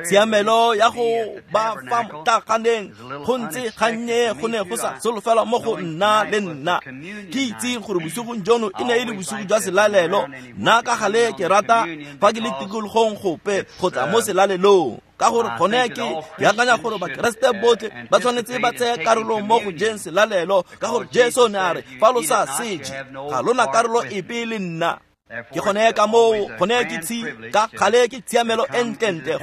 Tshiamelo ya go ba fa motlaganeng go ntse gannye go ne go sa solofelwa mo go nna le nna. Ke itse gore bosigong jono e ne e le bosigo jwa selalelo. Nna ka gale ke rata fa ke le tikologong gope go tla mo selalelong, ka gore gone ke akanya gore Bakeresete botlhe ba tshwanetse ba tseye karolo mo go jeng selalelo, ka gore Jesu ne a re fa lo sa se je ga lona karolo epe le nna. Ke gone ka moo gone ke tshi ka gale ke tshiamelo e ntlentle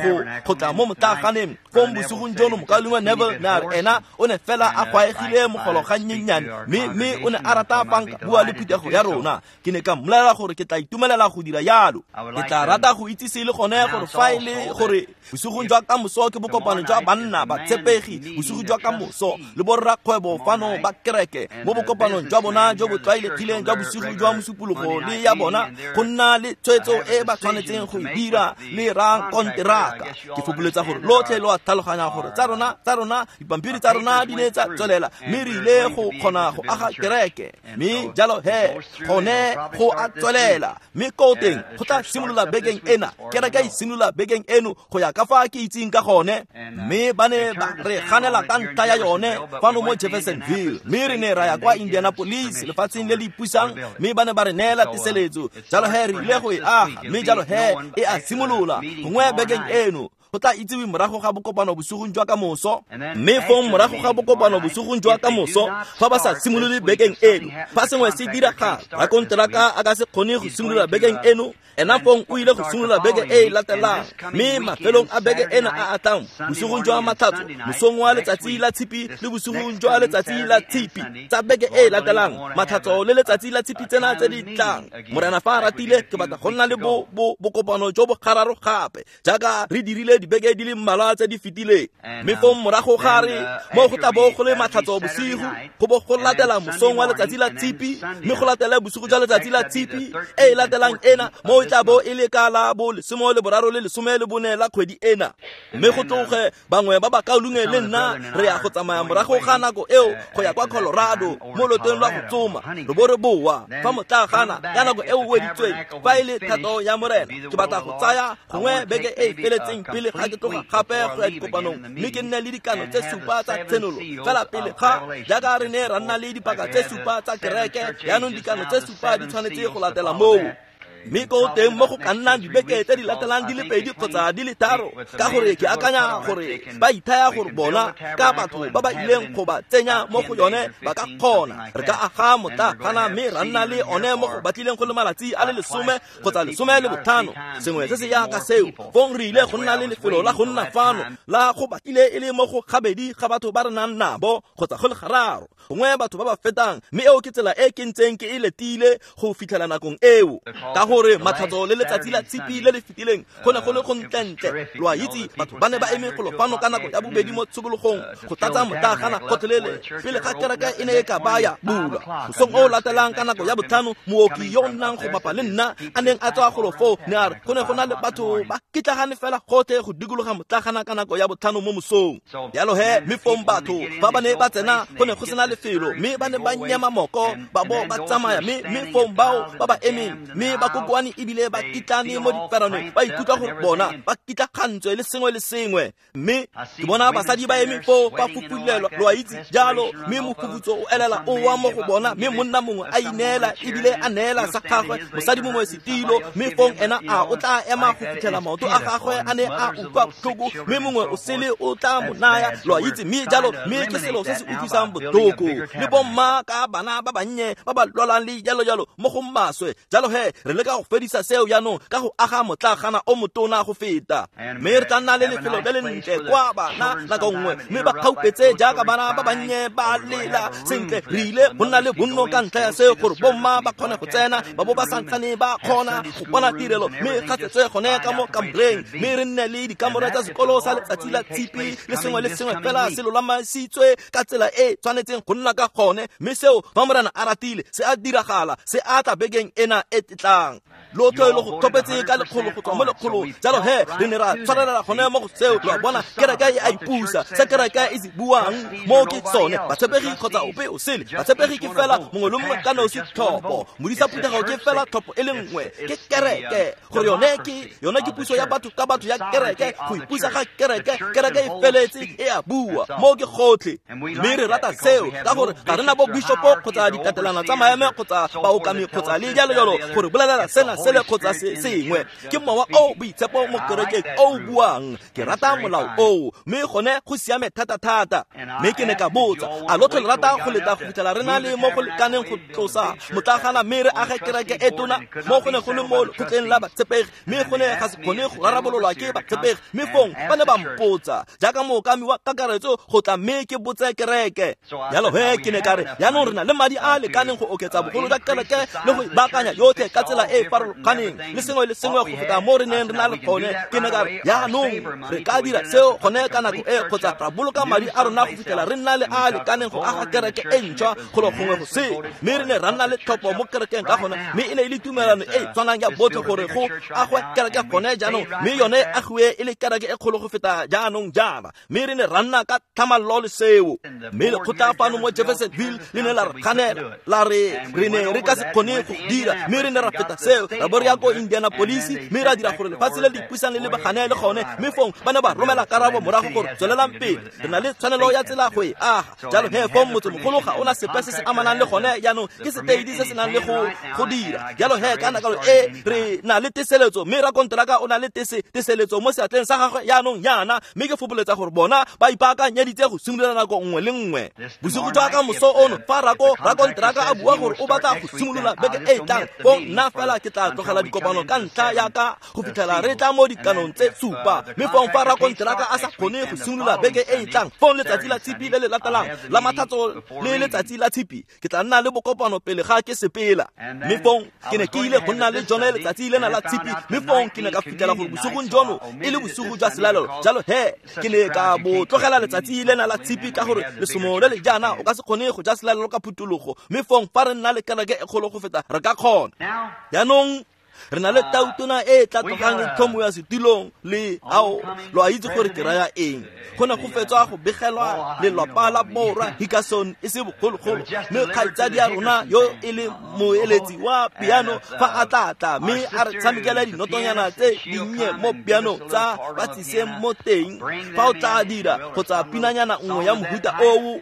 go tla mo motlaganeng. Fong bosigong jono mokaulengwe Neville ne a re ena o ne fela a gwaegile mogolo ga nnyennyane, mme o ne a rata fa nka bua le phuthego ya rona. Ke ne ka mmolelela gore ke tla itumelela go dira jalo. Ke tla rata go itsise le gone gore fa e le gore bosigong jwa kamoso ke bokopano jwa banna batshepegi, bosigo jwa kamoso le borrakgwebo fano ba kereke mo bokopanong jwa bona jo bo tlwaelegileng jwa bosigo jwa Mosupologo le ya bona go nna le tshwetso e ba tshwanetseng go e dira le rakonteraka. Ke fopholetsa gore lotlhe lo a tlhaloganya gore tsa rona dipampiri tsa rona di ne tsa tswelela, mme re ile go kgona go aga kereke, mme jalo he gone go a tswelela. Mme ko teng go tla simolola bekeng ena, kereke e simolola bekeng eno go ya ka fa ke itseng ka gone, mme ba ne ba re ganela ka ntlha ya yone fano mo Jeffersonville, mme re ne ra ya kwa Indianapolis lefatsheng le le ipusang, mme ba ne ba re neela teseletso. Jalo he re ile go e aga, mme jalo he e a simolola gongwe bekeng eno. Go tla itsiwe morago ga bokopano bosigong jwa kamoso, mme fong morago ga bokopano bosigong jwa kamoso fa ba sa simolole bekeng eno, fa sengwe se diragala, rakonteraka a ka se kgone go simolola bekeng eno, ena fong o ile go simolola beke e e latelang. Mme mafelong a beke ena a a tlang, bosigong jwa Matlhatso, mosong wa letsatsi la Tshipi le bosigong jwa letsatsi la Tshipi tsa beke e e latelang, Matlhatso le letsatsi la Tshipi tsena tse di tlang, Morena fa a ratile ke batla go nna le bokopano jo bo gararo gape jaaka re dirile dibeke di le mmalwa tse di fetileng. Mme fong morago ga re mo go tla bo go le Matlhatso bosigo, go bo go latela mosong wa letsatsi la Tshipi, mme go latele bosigo jwa letsatsi la Tshipi e e latelang ena, mo e tla bo e le ka la bo 13 le 14 la kgwedi ena. Mme go tloge bangwe ba bakaulengwe le nna re ya go tsamaya morago ga nako eo go ya kwa Colorado mo loteng lwa go tsoma, re bo re boa fa motlagana ka nako eo weditsweng. Fa e le thato ya Morena ke batla go tsaya gongwe beke e e feletseng pele ga ke tloga gape go ya dikopanong, mme ke nne le dikano tse 7 tsa tshenolo fela pele ga jaaka re ne ra nna le dipaka tse 7 tsa kereke. Jaanong dikano tse 7 di tshwanetse go latela moo, mme ko teng mo go ka nnang dibeke tse di latelang di le 2 kgotsa di le 3, ka gore ke akanya gore ba ithaya gore bona ka batho ba ba ileng go ba tsenya mo go yone ba ka kgona. Re ka aga motlagana mme ra nna le one mo go batlileng go le malatsi a le 10 kgotsa 15, sengwe se se yaka seo. Fong re ile go nna le lefelo la go nna fano la go batlile e le mo go gabedi ga batho ba re nang nabo kgotsa go le gararo, gongwe batho ba ba fetang, mme eo ke tsela e ke ntseng ke e letile go fitlhela nakong eo, ka gore Matlhatso le letsatsi la Tshipi le le fetileng go ne go le go ntlentle. Lo a itse batho ba ne ba eme golo fano ka nako ya bobedi mo tshokologong go tlatsa motlagana gotlhelele pele ga kereke e ne e ka baya bulwa. Mosong o latelang ka nako ya 5, mooki yo o nnang go bapa le nna a neng a tswa golo foo ne a re go ne go na le batho ba kitlagane fela gotlhe go dikologa motlagana ka nako ya 5 mo mosong. Jalo he mme fong batho fa ba ne ba tsena go ne go sena lefelo, mme ba ne ba nyema moko ba bo ba tsamaya, mme fong bao ba ba emeng mme ba kokoane ebile ba kitlane mo diperanong, ba ikutlwa gore bona ba kitlagantswe le sengwe le sengwe. Mme ke bona basadi ba eme foo ba fufulelwa, lo a itse jalo, mme mofufutso o elela o wa mo go bona, mme monna mongwe a ineela ebile a neela sa gagwe mosadi mongwe setilo, mme fong ena a o tla ema go fitlhela maoto a gagwe a ne a utlwa botlhoko, mme mongwe o sele o tla mo naya, lo a itse. Mme jalo mme ke selo se se utlwisang botlhoko, le bomma ka bana ba bannye ba ba lwalang le jalo jalo mo go maswe. Jalo he re leka go fedisa seo jaanong ka go aga motlagana o motona go feta, mme re tla nna le lefelo le le ntle kwa bana nako nngwe, mme ba kgaupetse jaaka bana ba bannye ba lela sentle. Re ile go nna le bonno ka ntlha ya seo gore bomma ba kgone go tsena, ba bo ba santsane ba kgona go bona tirelo, mme ga tsetswe gone ka mo kamoreng, mme re nne le dikamore tsa sekolo sa letsatsi la Tshipi le sengwe le sengwe fela se lolamasitswe ka tsela e tshwanetseng go nna ka gone. Mme seo fa Morena a ratile se a diragala, se a tla bekeng ena e tlang. Lotlhe lo go tlhopetse ka lekgolo go tswa mo lekgolong. Jalo he re ne ra tshwarelela gone mo go seo. Lo a bona, kereke e a ipusa. Se kereke e se buang mo ke sone. Batshepegi kgotsa ope o sele. Batshepegi ke fela mongwe le mongwe ka nosi tlhopho. Modisa phuthego ke fela tlhopho e le nngwe. Ke kereke. Gore yone ke puso ya batho ka batho ya kereke. Go ipusa ga kereke. Kereke e feletse e a bua. Mo ke gotlhe. Mme re rata seo ka gore ga rena bo bishopo kgotsa ditatelano tsa maemo kgotsa baokami kgotsa le jalo jalo gore bolelela sena sele kgotsa se sengwe. Ke mowa o boitshepo mo kerekeng o buang. Ke rata molao oo, mme gone go siame thata thata. Mme ke ne ka botsa, a lotlhe le rata go leta go fitlhela re na le mo go lekaneng go tlosa motlagana mme re age kereke e tona? Mo go ne go le mo lekgotleng la batshepegi, mme go ne ga se kgone go rarabololwa ke batshepegi. Mme fong ba ne ba mpotsa jaaka mookami wa kakaretso go tla mme ke botse kereke. Jalo he ke ne ka re, jaanong re na le madi a a lekaneng go oketsa bogolo jwa kereke le go ibaakanya yotlhe ka tsela e e farologaneng le sengwe le sengwe go feta mo re neng re na le gone. Ke ne ka re, jaanong re ka dira seo gone ka nako e, kgotsa ra boloka madi a rona go fitlhela re nna le a a lekaneng go aga kereke e ntšhwa golo gongwe go sele. Mme re ne ra nna le tlhopho mo kerekeng ka gone, mme e ne e le tumelano e e tshwanang ya botlhe gore go agwe kereke gone jaanong, mme yone e agiwe e le kereke e kgolo go feta jaanong jaana. Mme re ne ra nna ka tlhamallo le seo. Mme lekgotla fano mo Jeffersonville le ne la re kganela, la re re ne re ka se kgone go dira. Mme re ne ra feta seo, ra bo re ya ko Indianapolis, mme ra dira gore lefatshe le le ipusang le lebagane le gone. Mme fong ba ne ba romela karabo morago gore tswelelang pele, re na le tshwanelo ya tsela go e aga. Jalo he fong motsemogolo ga ona sepe se se amanang le gone jaanong, ke seteidi se se nang le go dira. Jalo he ka nako e re na le teseletso, mme rakonteraka o na le teseletso mo seatleng sa gagwe jaanong jaana. Mme ke fopoletsa gore bona ba ipaakanyeditse go simolola nako nngwe le nngwe. Bosigo jwa ka moso ono, fa rakonteraka a bua gore o batla go simolola beke e tlang, fong nna fela ke tla tlogela dikopano ka ntlha ya ka go fitlhela re tla mo dikanong tse 7. Mme fong fa rakonteraka a sa kgone go simolola beke e tlang, fong letsatsi la tshipi le le latelang la mathatso le letsatsi la tshipi, ke tla nna le bokopano pele ga ke sepela. Mme fong ke ne ke ile go nna le jone letsatsi lena la tshipi. Mme fong ke ne ka fitlhela gore bosigong jono e le bosigo jwa selalelo. Jalo he ke ne ka bo tlogela letsatsi lena la tshipi ka gore lesomo le le jaana o ka se kgone go ja selalelo ka phutologo. Mme fong fa re nna le kereke e kgolo go feta re ka kgona. Jaanong re na le tautona e tla tlogang e tlhomo ya setilong le ao lo a itse gore ke raya eng. Go ne go fetswa go begelwa lelapa la borwa Hickerson e se bogologolo, mme kgaitsadi ya rona yo e le moeletsi wa piano fa a tla tla mme a re tshamekela dinotonyana tse dinnye mo piano tsa ba tsiseng mo teng fa o tla dira kgotsa pinanyana nngwe ya mohuta oo.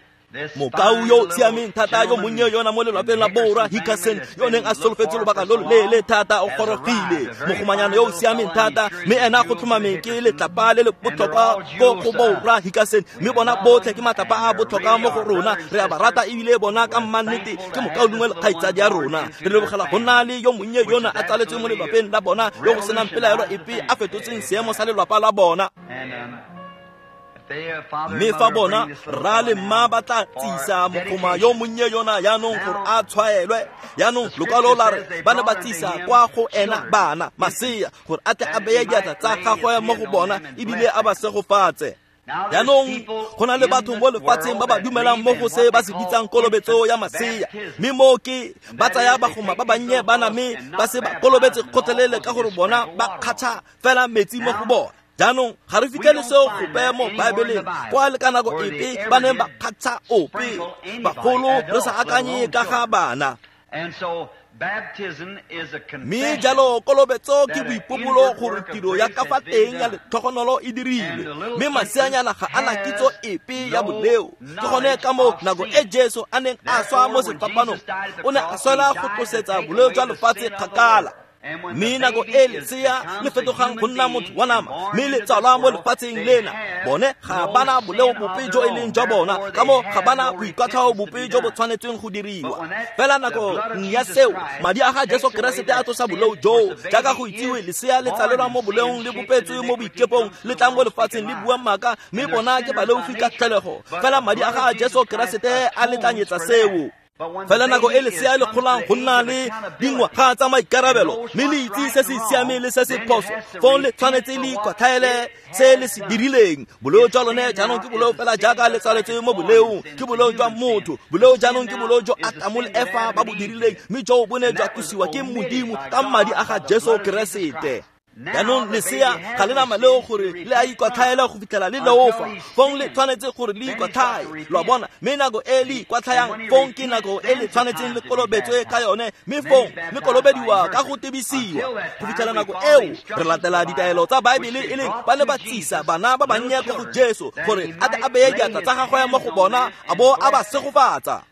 Mokau yo siameng thata yo monnye yona mo lelapeng la borwa Hickerson yo neng a solofetse lobaka lo loleele thata o gorogile. Mogomanyana yo o siameng thata, mme ena go tlhomameng ke letlapa le le botlhokwa ko go borwa Hickerson. Mme bona botlhe ke matlapa a botlhokwa mo go rona, re a ba rata ebile bona ka mmannete ke mokaulengwe le kgaitsadi ya rona. Re lebogela go nna le yo monnye yona a tsaletswe mo lelapeng la bona yo go senang pelaelo epe a fetotseng seemo sa lelapa la bona. Mme fa bona rra le mma ba tla tsisa mogoma yo monnye yona jaanong gore a tshwaelwe. Jaanong lokwalo la re ba ne ba tsisa kwa go ena bana masea gore a tle a beye diatla tsa gagwe mo go bona ebile a ba segofatse. Jaanong go na le batho mo lefatsheng ba ba dumelang mo go se ba se bitsang kolobetso ya masea. Mme mo ke ba tsaya bagoma ba bannye bana mme ba se ba kolobetse kgotlelele ka gore bona ba kgatšha fela metsi mo go bona. Jaanong ga re fitlhele seo gope mo Baebeleng kwa le ka nako epe ba neng ba kgatšha ope bagolo re sa akanye ka ga bana. Mme jalo kolobetso ke boipobolo gore tiro ya ka fa teng ya letlhogonolo e dirilwe, mme maseanyana ga ana kitso epe ya boleo. Ke gone ka moo nako e Jesu a neng a swa mo sefapanong, o ne a swela go tlosetsa boleo jwa lefatshe kgakala. Mme nako e lesea le fetogang go nna motho wa nama mme le tsalwa mo lefatsheng lena, bone ga bana boleo bope jo e leng jwa bona, ka moo ga bana boikwatlhao bope jo bo tshwanetsweng go diriwa. Fela nako ya seo madi a ga Jesu Keresete a tlosa boleo joo. Jaaka go itsiwe, lesea le tsalelwa mo boleong, le bopetswe mo boikepong, le tlang mo lefatsheng le bua maaka, mme bona ke baleofi ka tlholego. Fela madi a ga Jesu Keresete a letlanyetsa seo. Fela nako e lesea le golang go nna le dingwaga tsa maikarabelo, mme le itse se se siameng le se se phoso, fong le tshwanetse le ikwatlhaele se le se dirileng. Boleo jwa lone jaanong ke boleo fela jaaka le tsaletswe mo boleong, ke boleo jwa motho. Boleo jaanong ke boleo jo Atamo le Efa ba bo dirileng, mme joo bo ne jwa tlosiwa ke Modimo ka madi a ga Jesu Keresete. Jaanong lesea ga le na maleo gore le a ikwatlhaela go fitlhela le leofa, fong le tshwanetse gore le ikwatlhae, lo a bona. Mme nako e le ikwatlhayang fong ke nako e le tshwanetseng le kolobetswe ka yone, mme fong le kolobediwa ka go tebisiwa. Go fitlhela nako eo re latela ditaelo tsa Baebele, e leng ba ne ba tsisa bana ba bannye ko go Jesu gore a tle a beye diatla tsa gagwe mo go bona a bo a ba segofatsa.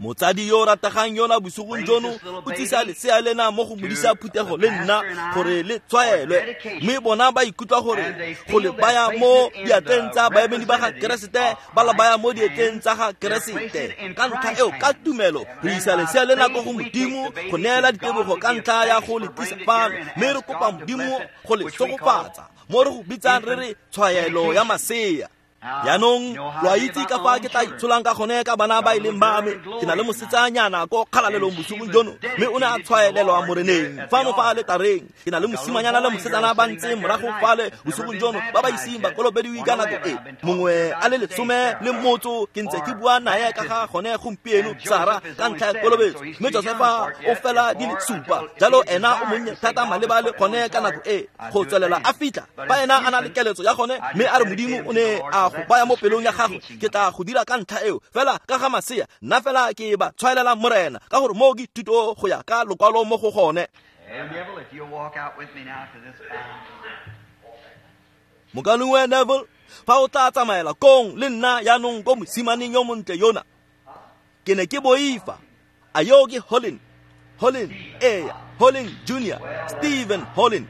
Motsadi yo o rategang yona bosigong jono o tsisa lesea lena mo go modisa phuthego le nna gore le tshwaelwe, mme bona ba ikutlwa gore go le baya mo diatleng tsa baemedi ba ga Keresete, ba la baya mo diatleng tsa ga Keresete. Ka ntlha eo, ka tumelo re isa lesea lena ko go Modimo go neela ditebogo ka ntlha ya go le tlisa fano, mme re kopa Modimo go le segofatsa mo re go bitsang re re tshwaelo ya masea. Jaanong lo a itse ka fa ke tla itsholang ka gone ka bana ba e leng ba me. Ke na le mosetsanyana ko kgalalelong bosigong jono, mme o ne a tshwaelelwa moreneng fano fa aletareng. Ke na le mosimanyana le mosetsana ba ntse morago fale bosigong jono ba ba iseng ba kolobediwe ka nako e. Mongwe a le 18 ke ntse ke bua nae ka ga gone gompieno, Sara, ka ntlha ya kolobetso. Mme Josefa o fela di le 7, jalo ena o monnye thata maleba le gone ka nako e go tswelela a fitlha fa ena a na le keletso ya gone, mme a re Modimo o ne a go baya mo pelong ya gago, ke tla go dira ka ntlha eo. Fela ka ga masea, nna fela ke ba tshwaelela Morena, ka gore moo ke thuto go ya ka lokwalo mo go gone. Mokalengwe Neville, fa o tla tsamaela kong le nna jaanong ko mosimaneng yo montle yona. Ke ne ke boifa. A yo ke Holland? Holland, eya, Holland Junior, Stephen Holland.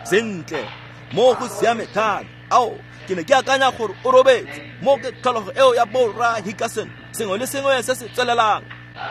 Sentle, mo go siame thata. Ao, ke ne ke akanya gore o robetse. Mo ke tlholego eo ya borra Hickerson, sengwe le sengwe se se tswelelang.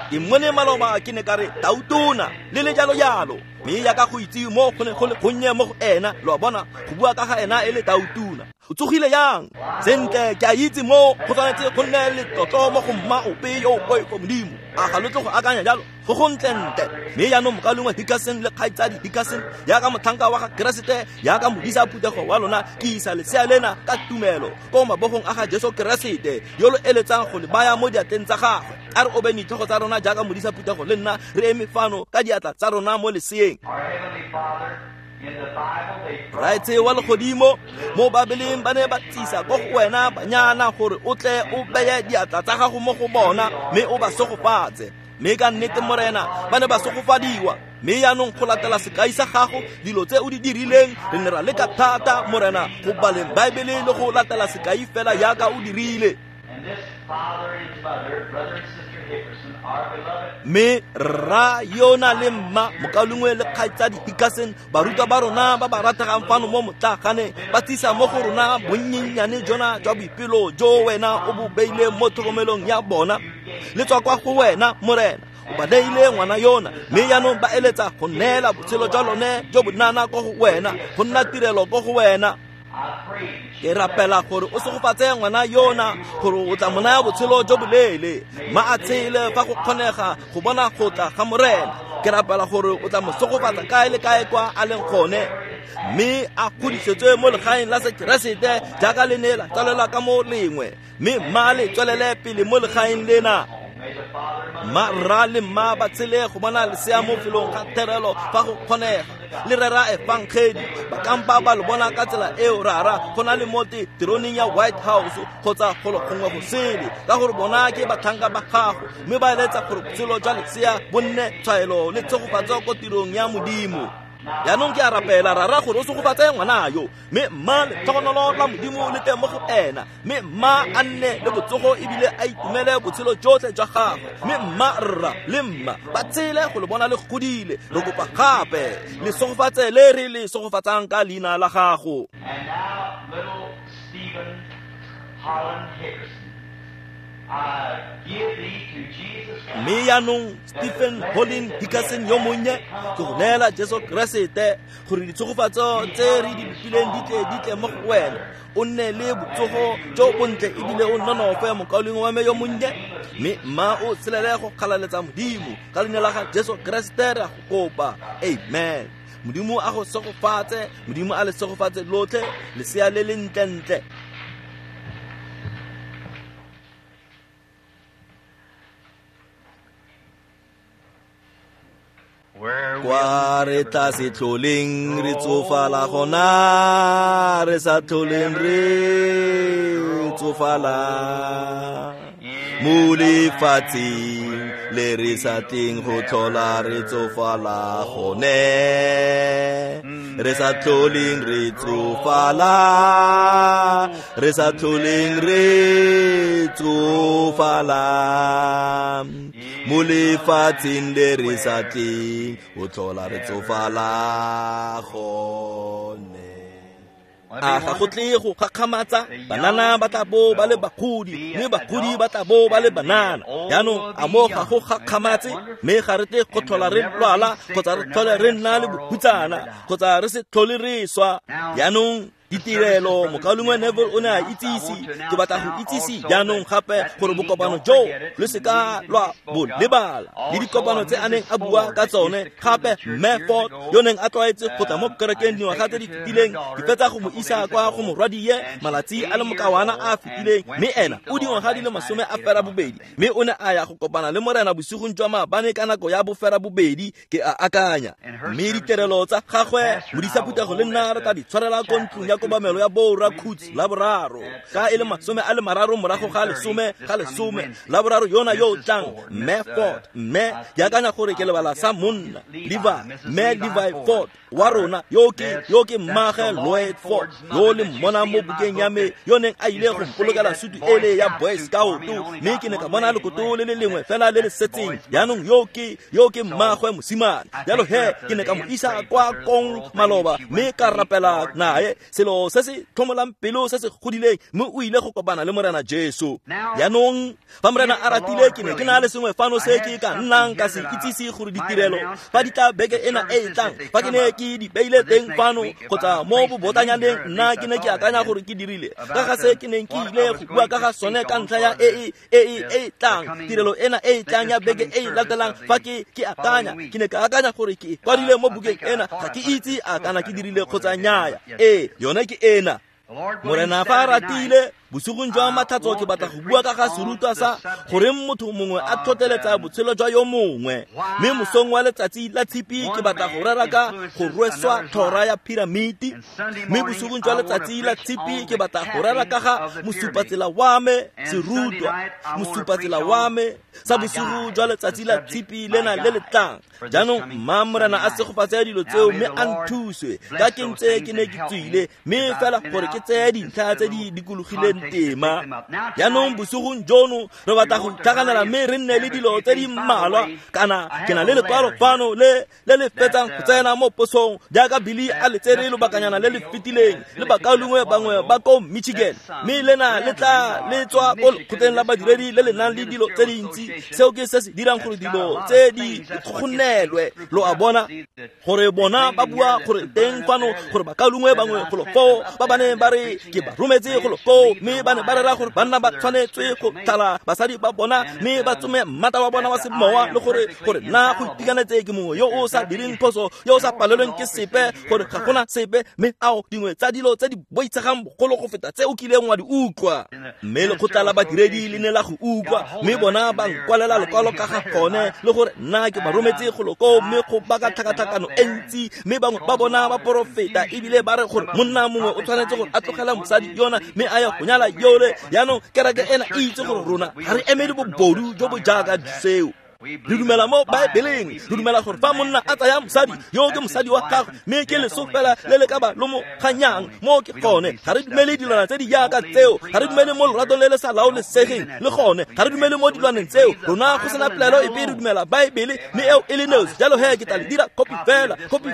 Ke mmone maloba ke ne ka re tautona le le jalo jalo, mme yaka go itse mo go ne go le gonnye mo go ena, lo a bona, go bua ka ga ena e le tautona. O tsogile yang? Sentle, ke a itse mo go tshwanetse go nne letlotlo mo go mma ope yo o poifo Modimo. A ga lo tle go akanya jalo? Go go ntlentle. Mme jaanong mokalengwe Hickerson le kgaitsadi Hickerson, jaaka motlhanka wa ga Keresete, jaaka modisa phuthego wa lona, ke isa lesea lena ka tumelo ko mabogong a ga Jesu Keresete yo lo eletsang go le baya mo diatleng tsa gagwe. A re obeng ditlhogo tsa rona jaaka modisa phuthego le nna re eme fano ka diatla tsa rona mo leseeng. Raetse wa legodimo, mo Babeleng ba ne ba tsisa ko go wena banyana gore o tle o beye diatla tsa gago mo go bona mme o ba segofatse. Mme ka nnete Morena ba ne ba segofadiwa. Mme jaanong go latela sekai sa gago, dilo tse o di dirileng, re ne ra leka thata Morena go baleng Baebele le go latela sekai fela jaaka o dirile. Mme rra yona le mma, mokalengwe le kgaitsadi Hickerson, barutwa ba rona ba ba rategang fano mo motlaganeng, ba tsisa mo go rona bonnyennyane jona jwa boipelo jo wena o bo beileng mo tlhokomelong ya bona. Le tswa kwa go wena Morena, o ba neile ngwana yona, mme jaanong ba eletsa go neela botshelo jwa lone jo bonana ko go wena, go nna tirelo ko go wena. Ke rapela gore o segofatse ngwana yona, gore o tla mo naya botshelo jo boleele, mma a tshele fa go kgonega go bona go tla ga Morena. Ke rapela gore o tla mo segofatsa kae le kae kwa a leng gone, mme a godisetswe mo legaeng la Sekeresete jaaka le ne la tsalelwa ka mo lengwe, mme mma le tswelele pele mo legaeng lena. Mma rra le mma ba tshele go bona lesea mo felong ga therelo fa go kgonega, le rera efangedi, ba kampa ba lo bona ka tsela eo rara, go na le mo teroneng ya White House kgotsa golo gongwe go sele, ka gore bona ke batlhanka ba gago, mme ba eletsa gore botshelo jwa lesea bo nne tshwaelo le tshegofatso ko tirong ya Modimo. Jaanong ke a rapela rara gore o segofatse ngwana yo, mme mma letlhogonolo la Modimo le tle mo go ena, mme mma a nne le botsogo ebile a itumele botshelo jotlhe jwa gagwe, mme mma rra le mma ba tshele go le bona le godile. Re kopa gape le segofatse le re le segofatsang ka leina la gago. And now, little Stephen Holland Hickerson. Mme jaanong Stephen Holling Dickerson yo monnye, ke go neela Jesu Keresete gore ditshegofatso tse re di bopileng di tle mo go wena. O nne le botsogo jo bontle ebile o nonofe, mokaulengwe wa me yo monnye, mme mma o tshelele go kgalaletsa Modimo ka leina la ga Jesu Keresete re a go kopa. Amen. Modimo a go segofatse, Modimo a le segofatse lotlhe, lesea le le ntlentle. Kwa re tla se tlholeng re tsofala gona, re sa tlholeng re tsofala mo lefatsheng le re sa tleng go tlhola re tsofala gone, re sa tlholeng re tsofala, re sa tlholeng re tsofala mo lefatsheng le re sa tleng go tlhola re tsofala gone. A ga go tle go gakgamatsa, banana ba tla bo ba le bagodi, mme bagodi ba tla bo ba le banana. Jaanong a mo ga go gakgamatse, mme ga re tle go tlhola re lwala kgotsa re tlhole re nna le bohutsana kgotsa re se tlhole re swa. Jaanong ditirelo, mokaulengwe Neville o ne a itsise, ke batla go itsise jaanong gape gore bokopano jo lo se ka lwa bo lebala, le dikopano tse a neng a bua ka tsone. Gape Mme Ford yo neng a tlwaetse go tla mo kerekeng dingwaga tse di fetileng, ke fetsa go mo isa kwa go morwadie malatsi a le mokawana a a fetileng, mme ena o dingwaga di le 28, mme o ne a ya go kopana le Morena bosigong jwa maabane ka nako ya 8:30, ke a akanya. Mme ditirelo tsa gagwe, modisa phuthego le nna re tla di tshwarela ko ntlong ya kobamelo ya Boora Coots Laboraro ka e le 10:30 Laboraro yona yo o tlang. Mme Ford, mme ke akanya gore ke lebala sa monna Levi, mme Levi Ford wa rona yo ke mmagwe Lloyd Ford yo le mmona mo bukeng ya me, yo neng a ile go mpolokela sutu ele ya Boy Scout, mme ke ne ka bona lekoto le le lengwe fela le le setseng. Jaanong yo ke mmagwe mosimane. Jalo he ke ne ka mo isa kwa kong maloba mme ka rapela nae, selo se se tlhomolang pelo se se godileng, mme o ile go kopana le Morena Jesu. Jaanong fa Morena a ratile, ke ne ke na le sengwe fano se ke ka nnang ka se itsise gore ditirelo fa di tla beke ena e e tlang, fa ke ne ke di beile teng fano kgotsa mo bobotanyaneng, nna ke ne ke akanya gore ke dirile ka ga se ke neng ke ile go bua ka ga sone ka ntlha ya e e tlang, tirelo ena e e tlang ya beke e e latelang. Fa ke akanya, ke ne ka akanya gore ke kwadile mo bukeng ena, ga ke itse a kana ke dirile kgotsa nnyaya. Ee, yone ke ena. Morena fa a ratile, bosigong jwa matlhatso ke batla go bua ka ga serutwa sa goreng motho mongwe a tlhotlheletsa botshelo jwa yo mongwe. Mme mosong wa letsatsi la tshipi ke batla go rera ka go rweswa tlhora ya piramiti. Mme bosigong jwa letsatsi la tshipi ke batla go rera ka ga mosupatsela wa me, serutwa mosupatsela wa me sa bosigo jwa letsatsi la tshipi lena le le tlang. Jaanong mma Morena a segofatse dilo tseo mme a nthuse ka ke ntse ke ne ke tswile, mme fela gore ke tseye dintlha tse di dikologileng tema. Jaanong bosigong jono re batla go itlhaganela mme re nne le dilo tse di mmalwa. Kana ke na le lekwalo fano le le fetsang go tsena mo posong jaaka Billy a le tsere lobakanyana le le fetileng le bakaulengwe bangwe ba ko Michigan, mme lena le tla le tswa ko lekgotleng la badiredi le le nang le dilo tse dintsi. Seo ke se se dirang gore dilo tse di kgonelwe, lo a bona, gore bona ba bua gore teng fano gore bakaulengwe bangwe golo foo ba ba neng ba re ke ba rometse golo koo, mme ba ne ba rera gore banna ba tshwanetswe go tlhala basadi ba bona mme ba tsome mmata wa bona wa semowa, le gore nna go itekanetse ke mongwe yo o sa direng phoso, yo o sa palelweng ke sepe, gore ga gona sepe, mme ao dingwe tsa dilo tse di boitshegang bogolo go feta tse o kileng wa di utlwa. Mme lekgotla la badiredi le ne la go utlwa, mme bona ba nkwalela lekwalo ka ga gone, le gore nna ke ba rometse golo koo, mme go baka tlhakatlhakano e ntsi, mme bangwe ba bona ba porofeta ebile ba re gore monna mongwe o tshwanetse gore a tlogela mosadi yona mme a ye go nyala yole. Jaanong kereke ena e itse gore rona ga re emele bobodu jo bo jaaka seo. Re dumela mo Baebeleng, re dumela gore fa monna a tsaya mosadi yo ke mosadi wa gagwe, mme ke leso fela le le ka ba lo mo kganyang mo ke gone. Ga re dumele dilwana tse di jaaka tseo, ga re dumele mo loratong le le sa laolesegeng le gone, ga re dumele mo dilwaneng tseo. Rona go sena polelo epe, re dumela Baebele, mme eo e le nosi. Jalo he ke tla le dira kopi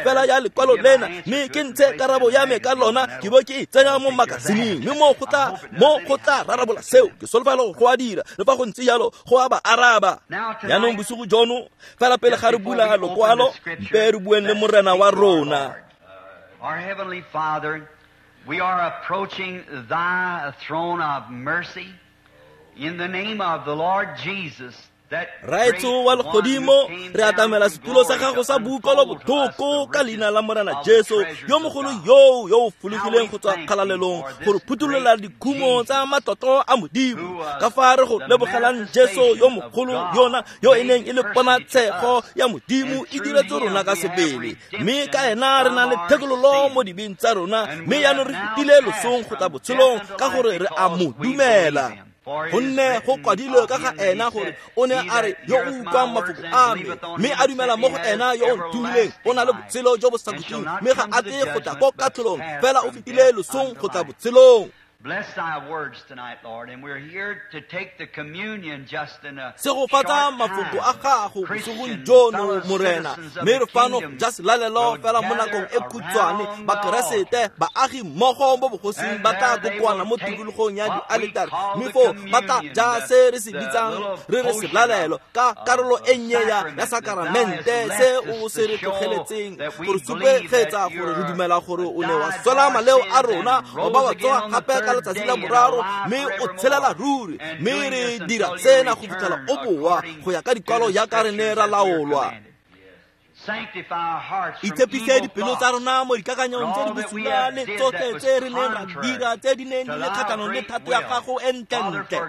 fela ya lekwalo lena, mme ke ntshe karabo ya me ka lona, ke bo ke e tsenya mo makasineng, mme mo go tla rarabola seo. Ke solofela go a dira, le fa go ntse jalo go a ba araba. Jaanong bosigo jono, fela pele ga re bula lokwalo, mpe re bueng le Morena wa rona. Our heavenly Father, we are approaching thy throne of mercy in the name of the Lord Jesus. Raetso wa legodimo, re atamela setulo sa gago sa boutlwelo botlhoko ka leina la Morena Jesu yo mogolo yo o fologileng go tswa kgalalelong gore phuthulola dikhumo tsa matlotlo a Modimo. Ka fa re go lebogelang Jesu yo mogolo yona yo e neng e le ponatshego ya Modimo e diretse rona ka sebele, mme ka ena re na le thekololo mo dibeng tsa rona, mme jaanong re fetile losong go tla botshelong ka gore re a mo dumela. Gonne go kwadilwe ka ga ena gore o ne a re yo o utlwang mafoko a me mme a dumela mo go ena yo o ntumileng o na le botshelo jo bo sa khutleng, mme ga a tle go tla ko katlholong, fela o fetile losong go tla botshelong. Bless thy words tonight, Lord, and we're here to take the communion just in a Segofatsa mafoko a gago bosigong jono, Morena, mme re fano ja selalelo fela mo nakong e khutshwane. Bakeresete baagi mmogo mo bogosing ba tla kokoana mo tikologong ya dialetare, mme foo ba tla ja se re se bitsang re re selalelo ka karolo e nnye ya sakaramente se o se re tlogeletseng gore supegetsa gore re dumela gore o ne wa swela maleo a rona, wa ba wa tsoga gape ka letsatsi la boraro, mme o tshelela ruri, mme re dira sena go fitlhela o boa go ya ka dikwalo jaaka re ne ra laolwa. Itshepise dipelo tsa rona mo dikakanyong tse di bosula le tsotlhe tse re neng ra dira tse di neng di le kgatlhanong le thato ya gago e ntlentle.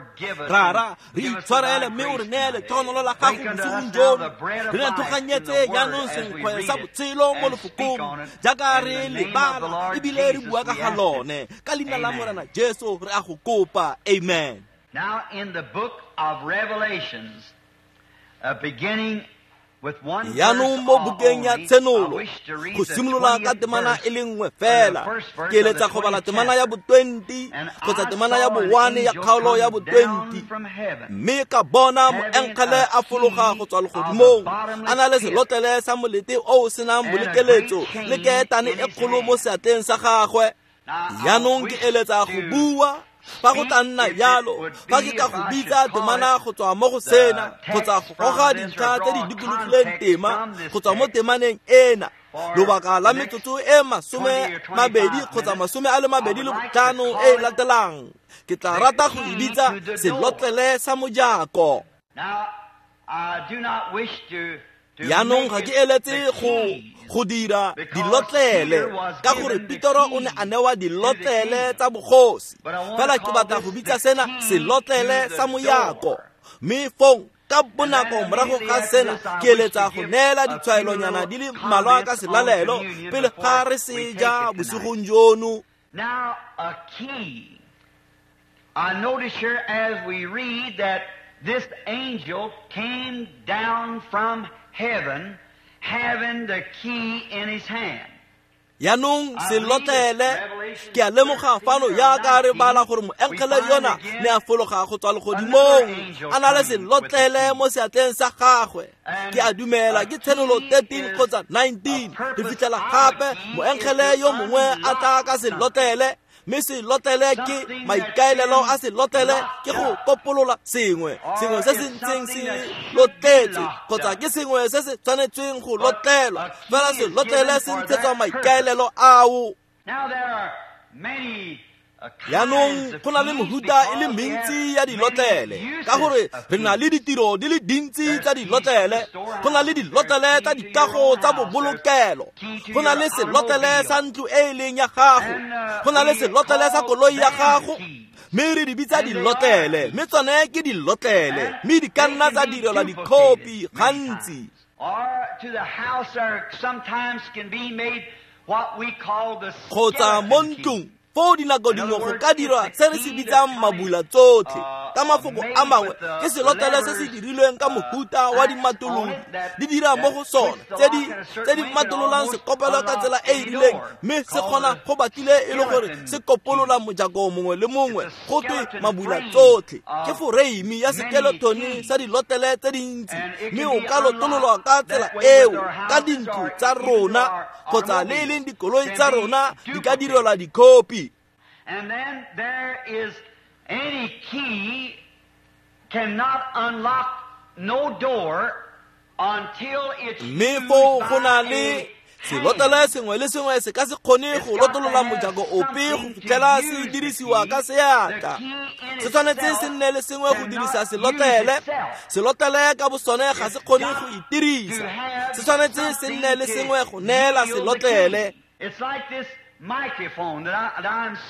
Rara, re itshwarele mme o re neye letlhogonolo la gago bosigong jono. Re nathoganyetse jaanong senkgwe sa botshelo mo lefokong jaaka re lebala ebile re bua ka ga lone. Ka leina la Morena Jesu re a go kopa, amen. Now in the book of Revelations, beginning Jaanong mo bukeng ya Tshenolo, go simolola ka temana e le nngwe fela, ke eletsa go bala temana ya bo-20 kgotsa temana ya bo-1 ya kgaolo ya bo-20. Mme ka bona moengele a fologa go tswa legodimong, a na le selotlele sa molete o o senang bolekeletso le keetane e kgolo mo seatleng sa gagwe. Jaanong ke eletsa go bua fa go tla nna jalo, fa ke ka go bitsa temana go tswa mo go sena kgotsa go goga dintlha tse di dikologileng tema go tswa mo temaneng ena lobaka la metsotso e 20 kgotsa 25 e e latelang, ke tla rata go e bitsa selotlele sa mojako. Jaanong ga ke eletse go dira dilotlele ka gore Petero o ne a newa dilotlele tsa bogosi, fela ke batla go bitsa sena selotlele sa mojako. Mme fong ka bonako morago ga sena ke eletsa go neela ditshwaelonyana di le mmalwa ka selalelo pele ga re se ja bosigong jono. Now a key. I notice here as we read that this angel came down from heaven having the key in his hand. Jaanong selotlele, ke a lemoga fano jaaka re bala gore moengele yona ne a fologa go tswa legodimong a na le selotlele mo seatleng sa gagwe. Ke a dumela ke Tshenolo 13 kgotsa 19 re fitlhela gape moengele yo mongwe a tla ka selotlele, mme selotlele ke maikaelelo a selotlele ke go kopolola sengwe se se ntseng se lotletswe kgotsa ke sengwe se se tshwanetsweng go lotlelwa, fela selotlele se ntshetswa maikaelelo ao. Jaanong go na le mehuta e le mentsi ya dilotlele ka gore re na le ditiro di le dintsi tsa dilotlele. Go na le dilotlele tsa dikago tsa bobolokelo, go na le selotlele sa ntlo e e leng ya gago, go na le selotlele sa koloi ya gago, mme re di bitsa dilotlele, mme tsone ke dilotlele, mme di ka nna tsa direlwa dikhopi gantsi. Kgotsa mo ntlong foo dinako dingwe go ka dirwa se re se bitsang mabula tsotlhe. Ka mafoko a mangwe ke selotlele se se dirilweng ka mohuta wa dimatolodi di dira mo go sone tse di matololang sekopelo ka tsela e e rileng, mme se kgona go batlile e le gore se kopolola mojako mongwe le mongwe go twe mabula tsotlhe. Ke foreimi ya skeletone sa dilotlele tse dintsi, mme o ka lotololwa ka tsela eo ka dintlo tsa rona kgotsa le e leng dikoloi tsa rona di ka direlwa dikhopi. And then there is any key cannot unlock no door until it's mme foo go na le selotlele sengwe le sengwe se ka se kgone go lotolola mojako ope go fitlhela se dirisiwa ka seatla. Se tshwanetse se nne le sengwe go dirisa selotlele. Selotlele ka bosone ga se kgone go itirisa. Se tshwanetse se nne le sengwe go neela selotlele.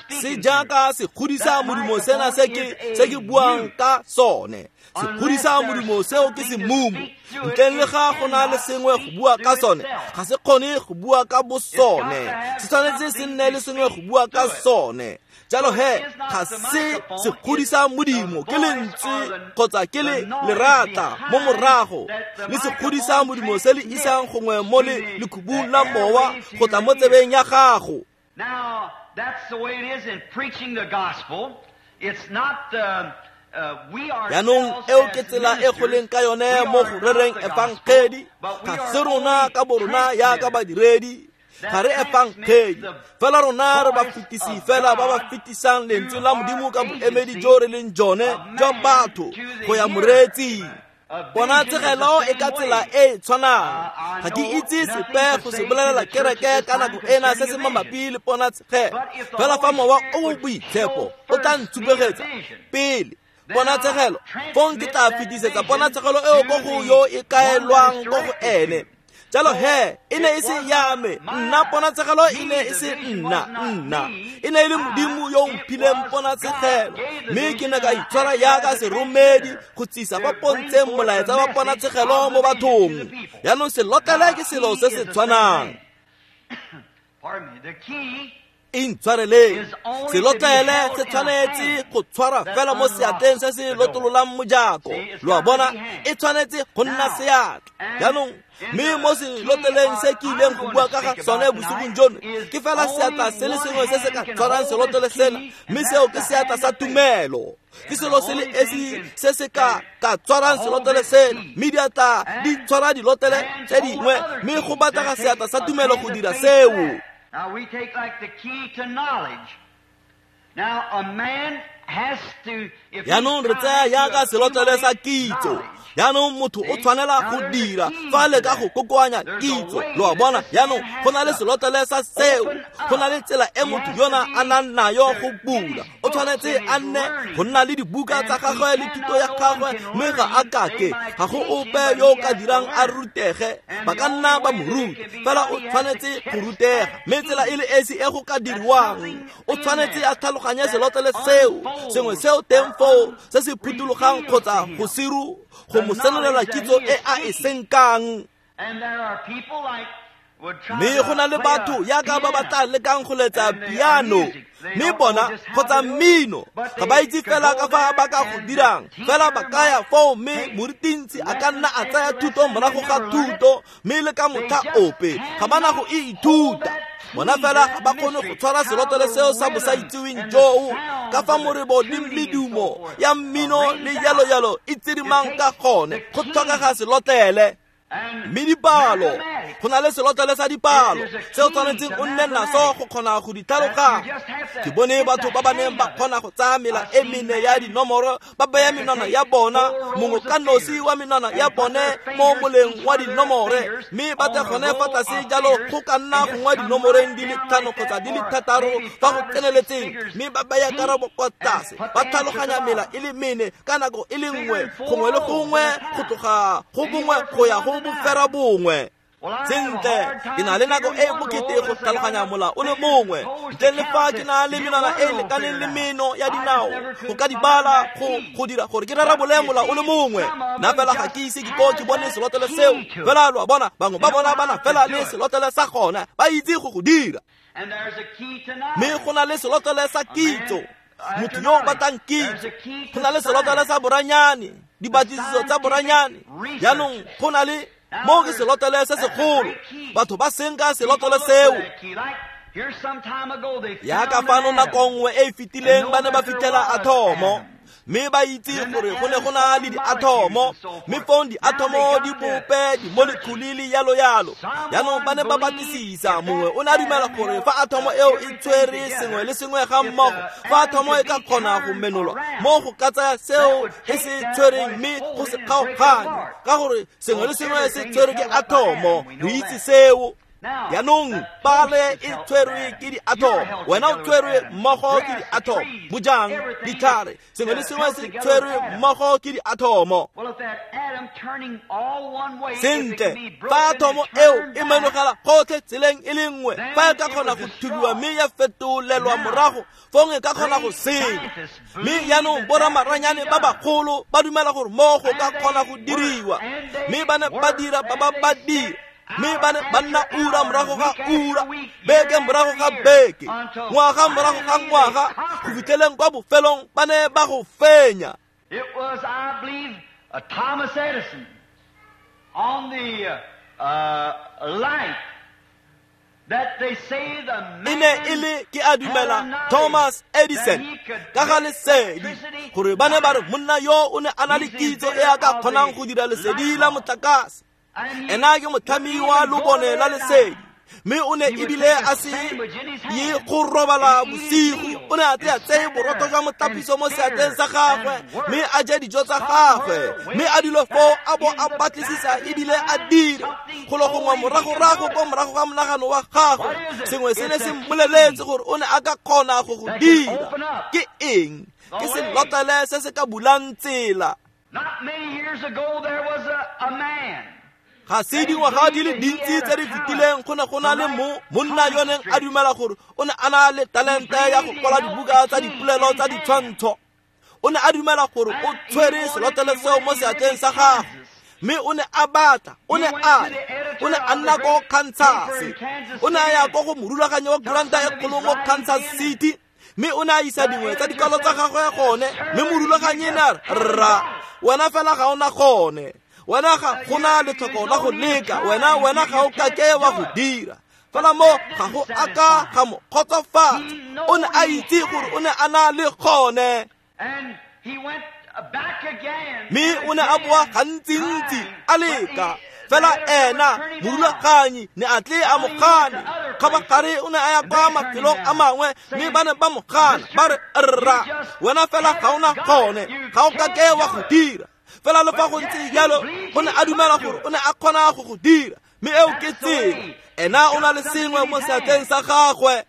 Se jaaka se godisa modumo sena se ke buang ka sone. Se godisa modumo seo ke semumu. Ntleng le ga go na le sengwe go bua ka sone, ga se kgone go bua ka bosone. Se tshwanetse se nne le sengwe go bua ka sone. Jalo he, ga se se godisa modimo ke lentswe kgotsa ke le lerata mo morago, le se godisa modimo se le isang gongwe mo le lekhubung la mowa go tla mo tsebeng ya gago. Now, that's the way it is in preaching the gospel. It's not the Jaanong eo ke tsela e go leng ka yone mo go rereng efangedi. Ga se rona ka borona yaka badiredi, ga re efangedi fela, rona re ba fetisi fela ba ba fetisang lentswe la Modimo ka boemedi jo re leng jone jwa batho go ya moreetsing. Ponatshegelo e ka tsela e e tshwanang. Ga ke itse sepe go se bolelela kereke ka nako ena se se mabapi le ponatshegelo, fela fa mowa o o boitshepo o tla ntshupegetsa pele ponatshegelo, fong ke tla fetisetsa ponatshegelo eo ko go yo e kaelwang ko go ene. Jalo he, e ne e se ya me nna, ponatshegelo e ne e se nna, e ne e le Modimo yo o mphileng ponatshegelo, mme ke ne ka itshwara yaka seromedi go tsisa ba pontsheng molaetsa wa ponatshegelo mo bathong. Jaanong selotlele ke selo se se tshwanang. Intshwareleng, selotlele se tshwanetse go tshwara fela mo seatleng se se lotololang mojako. Lo a bona, e tshwanetse go nna seatla. Jaanong mme mo selotleleng se ke ileng go bua ka ga sone bosigong jono, ke fela seatla se le sengwe se se ka tshwarang selotlele sena, mme seo ke seatla sa tumelo. Ke selo se le esi se se ka tshwarang selotlele sena, mme diatla di tshwara dilotlele tse dingwe, mme go batlega seatla sa tumelo go dira seo. Now we take like the key to knowledge. Now a man has to, if Jaanong re tsaya yaka selotlele sa kitso. Jaanong motho o tshwanela go dira fa le ka go kokoanya kitso. Lo a bona, jaanong go na le selotlele sa seo, go na le tsela e motho yona a nang nayo go bula. O tshwanetse a nne go nna le dibuka tsa gagwe le thuto ya gagwe, mme ga a kake, ga go ope yo o ka dirang a rutege. Ba ka nna ba mo ruta, fela o tshwanetse go rutega. Mme tsela e le esi e go ka diriwang, o tshwanetse a tlhaloganye selotlele seo, sengwe seo teng foo se se phuthulogang kgotsa go siru go mo senolela kitso e a e senkang. Mme go na le batho yaka ba ba tla lekang go letsa piano, mme bona kgotsa mmino ga ba itse fela ka fa ba ka go dirang, fela ba ka ya foo, mme morutintsi a ka nna a tsaya thuto morago ga thuto, mme le ka motlha ope ga ba na go e ithuta. Bona fela ga ba kgone go tshwara selotlele seo sa bosaitseweng joo ka fa morebo le medumo ya mmino le jalo-jalo e tsirimang ka gone. Go tlhokega selotlele. Mme dipalo, go na le selotlele sa dipalo se o tshwanetseng o nne naso go kgona go di tlhaloganya. Ke bone batho ba ba neng ba kgona go tsaya mela e mene ya dinomoro, ba baya menwana ya bona mongwe ka nosi wa menwana ya bone mo moleng wa dinomore, mme ba tle gone fa tlase jalo go ka nna gongwe dinomoreng di le 5 kgotsa di le 6 fa go tseneletseng, mme ba baya karabo kwa tlase, ba tlhaloganya mela e le mene ka nako e le nngwe, gongwe le gongwe go tloga go bongwe go ya go bofera bongwe. Sentle, ke na le nako e bokete go tlhaloganya mola o le mongwe, ntle le fa ke na le menwana e lekaneng le meno ya dinao go ka dibala go dira gore ke rarabole mola o le mongwe. Nna fela ga ke ise ke ko ke bone selotlele seo. Fela lo a bona, bangwe ba bona ba na fela le selotlele sa gona, ba itse go go dira. Mme go na le selotlele sa kitso. Motho yo o batlang kitso, go na le selotlele sa boranyane, dipatlisiso tsa boranyane. Jaanong go na le mo ke selotlele se segolo, batho ba senka selotlele seo. Yaka fano nako nngwe e e fetileng ba ne ba fitlhela athomo, mme ba itse gore go ne go na le diathomo, mme fong diathomo di bope dimolekhule le yalo yalo. Jaanong ba ne ba batlisisa, mongwe o ne a dumela gore fa athomo eo e tshwere sengwe le sengwe ga mmogo, fa athomo e ka kgona go menolwa mo go ka tsaya seo e se tshwereng mme go se kgaoganye, ka gore sengwe le sengwe se tshwerwe ke athomo. Re itse seo. Jaanong pale e tshwerwe ke diathomo, wena o tshwerwe mmogo ke diathomo, bojang, ditlhare, sengwe le sengwe se tshwerwe mmogo ke diathomo. Sentle, fa athomo eo e menogela gotlhe tseleng e le nngwe, fa e ka kgona go thubiwa mme ya fetolelwa morago, fong e ka kgona go senya. Mme jaanong boramaranyane ba bagolo ba dumela gore mo go ka kgona go diriwa, mme ba ne ba dira ba ba dira. Mme ba ne ba nna ura morago ga ura, beke morago ga beke, ngwaga morago ga ngwaga, go fitlheleng kwa bofelong ba ne ba go fenya. It was, I believe, Thomas Edison on the light that they say the E ne e le, ke a dumela, Thomas Edison ka ga lesedi, gore ba ne ba re monna yo o ne a na le kitso e a ka kgonang go dira lesedi la motlakase. Ena ke motlhami wa lobone la lesedi, mme o ne ebile a se ye go robala bosigo. O ne a tle a tseye borotho jwa motlapiso mo seatleng sa gagwe, mme a je dijo tsa gagwe, mme a dule foo a bo a batlisisa ebile a dire golo gongwe moragorago ko morago ga monagano wa gagwe. Sengwe se ne se mmoleletse gore o ne a ka kgona go go dira. Ke eng? Ke selotlele se se ka bulang tsela. Not many years ago there was a man. Ga se dingwaga di le dintsi tse di fetileng go ne go na le monna yo neng a dumela gore o ne a na le talente ya go kwala dibuka tsa dipolelo tsa ditshwantsho. O ne a dumela gore o tshwere selotlele seo mo seatleng sa gagwe, mme o ne a batla, o ne a nna ko Kansas. O ne a ya ko go morulaganyi wa kuranta e kgolo mo Kansas City, mme o ne a isa dingwe tsa dikwalo tsa gagwe gone, mme morulaganyi ne a re, rra, wena fela ga o na gone. Wena ga gona letlhoko la go leka, wena ga o kake wa go dira. Fela mo ga go aka ga mo kgotsofatsa. O ne a itse gore o ne a na le gone. Mme o ne a boa gantsintsi a leka. Fela ena morulaganyi ne a tle a mo gana. Kgabagare o ne a ya kwa mafelong a mangwe, mme ba ne ba mo gana, ba re, rra, wena fela ga o na gone, ga o kake wa go dira. Fela le fa go ntse jalo, o ne a dumela gore o ne a kgona go go dira, mme eo ke tsela. Ena o na le sengwe mo seatleng sa gagwe.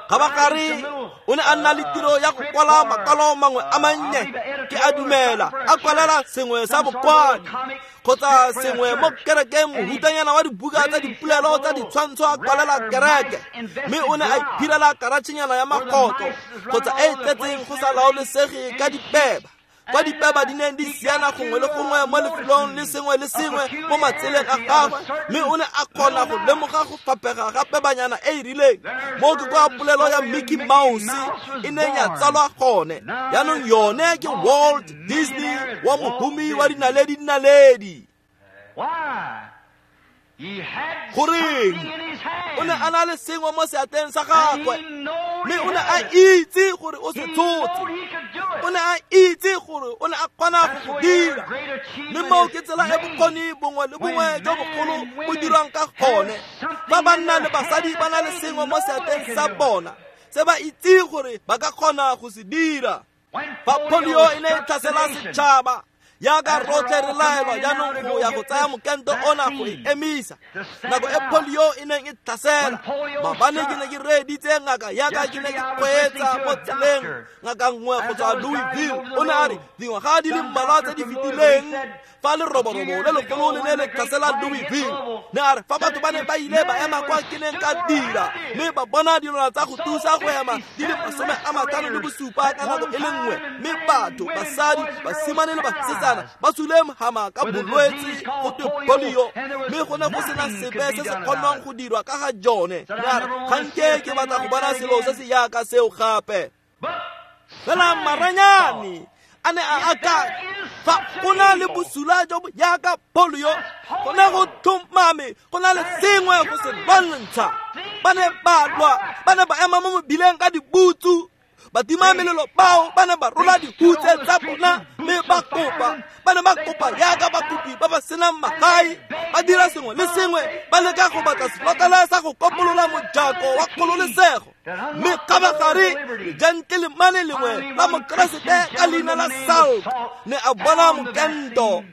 Kgabagare o ne a nna le tiro ya go kwala makwalo mangwe a mannye, ke a dumela, a kwalela sengwe sa bokwadi kgotsa sengwe mo kerekeng, mohutanyana wa dibuka tsa dipolelo tsa ditshwantsho a kwalela kereke. Mme o ne a iphirela karatšhenyana ya makoto kgotsa e e tletseng go sa laolesege ka dipeba, kwa dipeba di neng di siana gongwe le gongwe mo lefelong le sengwe le sengwe mo matseleng a gagwe. Mme o ne a kgona go lemoga go fapega ga pebanyana e e rileng. Mo ke kwa polelo ya Mickey Mouse e neng ya tsalwa gone. Jaanong yone ke Walt Disney wa mohumi wa dinaledi-naledi. Goreng? O ne a na le sengwe mo seatleng sa gagwe, mme o ne a itse gore o se tshotse. O ne a itse gore o ne a kgona go go dira. Mme moo ke tsela e bokgoni bongwe le bongwe jo bogolo bo dirwang ka gone. Fa banna le basadi ba na le sengwe mo seatleng sa bona se ba itse gore ba ka kgona go se dira. Fa polio e ne e tlhasela setšhaba, yaka rotlhe re laelwa jaanong go ya go tsaya mokento ona go e emisa. Nako e polio e neng e tlhasela, maabane ke ne ke reeditse ngaka yaka ke ne ke kgweetsa mo tseleng, ngaka nngwe go tswa Louisville. O ne a re dingwaga di le mmalwa tse di fetileng fa leroborobo le legolo le ne le tlhasela Louisville, ne a re fa batho ba ne ba ile ba ema kwa ke neng ka dira, mme ba bona dilwana tsa go thusa go ema di le 57 ka nako e le nngwe, mme batho, basadi, basimane le basetsana jaana ba sule mhama ka bolwetse go twe polio, mme go ne go sena sepe se se kgonwang go dirwa ka ga jone. Ne a re, ga nke ke batla go bona selo se se jaaka seo gape. Fela maranyane a ne a akanya, fa go na le bosula jo bo jaaka polio, go ne go tlhomame go na le sengwe go se lwantsha. Ba ne ba lwa, ba ne ba ema mo mebileng ka dibutsu. Batima melelo bao ba ne ba rola dihutse tsa bona mme ba kopa. Ba ne ba kopa jaaka bakopi ba ba senang magae, ba dira sengwe le sengwe, ba leka go batla selotlele sa go kopolola mojako wa kgololesego. Mme kgabagare gentleman lengwe la Mokeresete ka leina la Salk ne a bona mokento.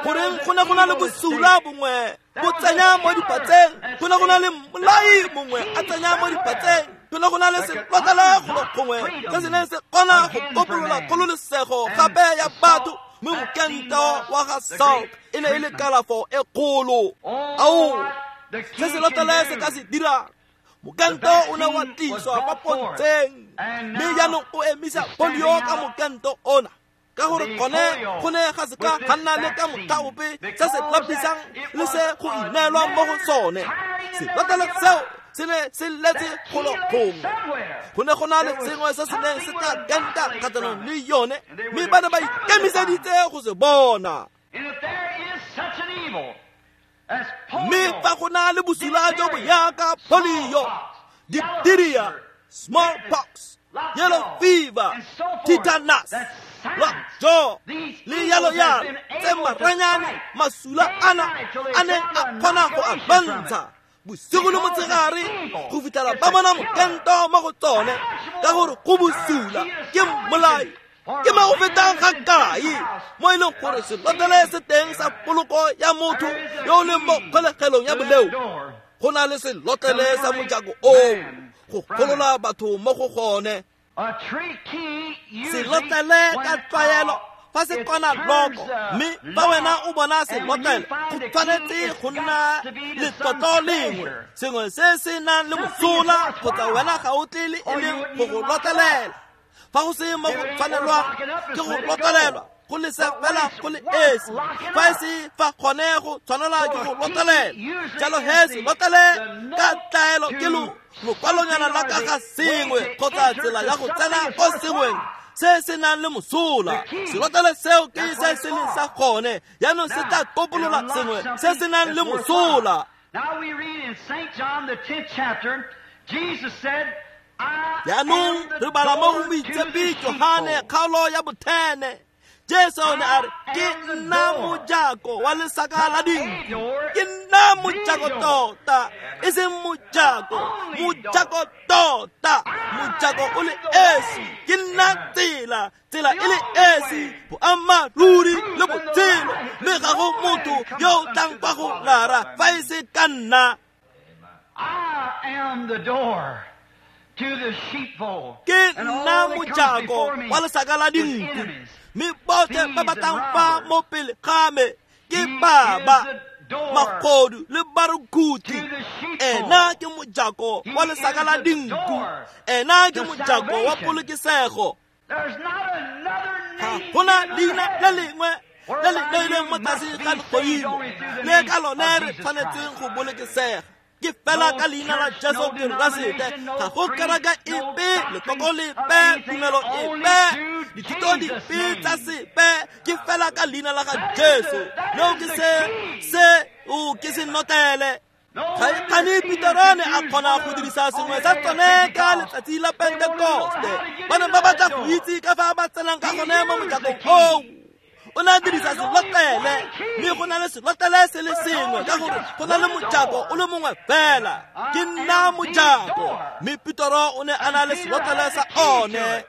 Goreng go ne go na le bosula bongwe bo tsenya mo dipatseng, go ne go na le mmolai mongwe a tsenya mo dipatseng, go ne go na le selotlele golo gongwe se se neng se kgona go kopolola kgololesego gape ya batho. Mme mokento wa ga Salk e ne e le kalafo e kgolo. Ao, se selotlele se ka se dirang. Mokento o ne wa tliswa kwa pontsheng, mme jaanong o emisa polio ka mokento ona, ka gore gone go ne ga se ka ga nna le ka motlha ope se se lapisang le se go ineelwang mo go sone. Selotlele seo se ne se letse golo gongwe. Go ne go na le sengwe se se neng se tla kenta kgatlhanong le yone, mme ba ne ba ikemiseditse go se bona. Mme fa go na le bosula jo bo jaaka polio, diphtheria, smallpox, yellow fever, tetanus, lockjaw le yalo yalo, tse maranyane masula ana a neng a kgona go a lwantsha bosigo le motshegare go fitlhela ba bona mokento mo go tsone, ka gore go bosula ke mmolai. Ke mo go fetang ga kae mo e leng gore selotlele se teng sa poloko ya motho yo o leng mo kgolegelong ya boleo. Go na le selotlele sa mojako oo go golola batho mo go gone. Selotlele ka tlwaelo fa se kwana loko, mme fa wena o bona selotlele go tshwanetse go nna letlotlo lengwe, sengwe se se nang le mosola, kgotsa wena ga o tle le e leng go go lotlelela. Fa go se mo go tshwanelwang ke go lotlelelwa, go le se fela go le esi, fa e se fa gone go tshwanelwa ke go lotlelela. Jalo he selotlele ka tlaelo ke lokwalonyana la ka ga sengwe kgotsa tsela ya go tsena ko sengweng se se nang le mosola. Selotlele seo ke se se leng sa gone, jaanong se tla kopolola sengwe se se nang le mosola. Jaanong re bala mo go Moitshepi Johane kgaolo ya 10. Jesu o ne a re, ke nna mojako wa lesaka la dinku. Ke nna mojako tota, e seng mojako, mojako tota, mojako o le esi. Ke nna tsela, tsela e le esi, boammaaruri le botshelo, mme ga go motho yo o tlang kwa go Rara fa e se ka nna. I am the door to the sheepfold. Ke nna mojako wa lesaka la dinku, mme botlhe ba ba tlang fa mo pele ga me ke baba, magodu le barukhuthi. Ena ke mojako wa lesaka la dinku, ena ke mojako wa polokesego. Ga gona leina le lengwe le le neilweng mo tlase ga legodimo le ka lone re tshwanetseng go bolokesega. Ke fela ka leina la Jesu Keresete. Ga go kereke epe, lekoko lepe, tumelo epe, dithuto dipe tsa sepe, ke fela ka leina la ga Jesu. Leo ke se o ke se notele. Ga Peter ne a kgona go dirisa sengwe sa tsone ka letsatsi la Pentekoste. Ba ne ba batla go itse ka fa ba tsenang ka gone mo mojakong oo. O ne a dirisa selotlele, mme go na le selotlele se le sengwe, ka gore go na le mojako o le mongwe fela. Ke nna mojako. Mme Petero o ne a na le selotlele sa one.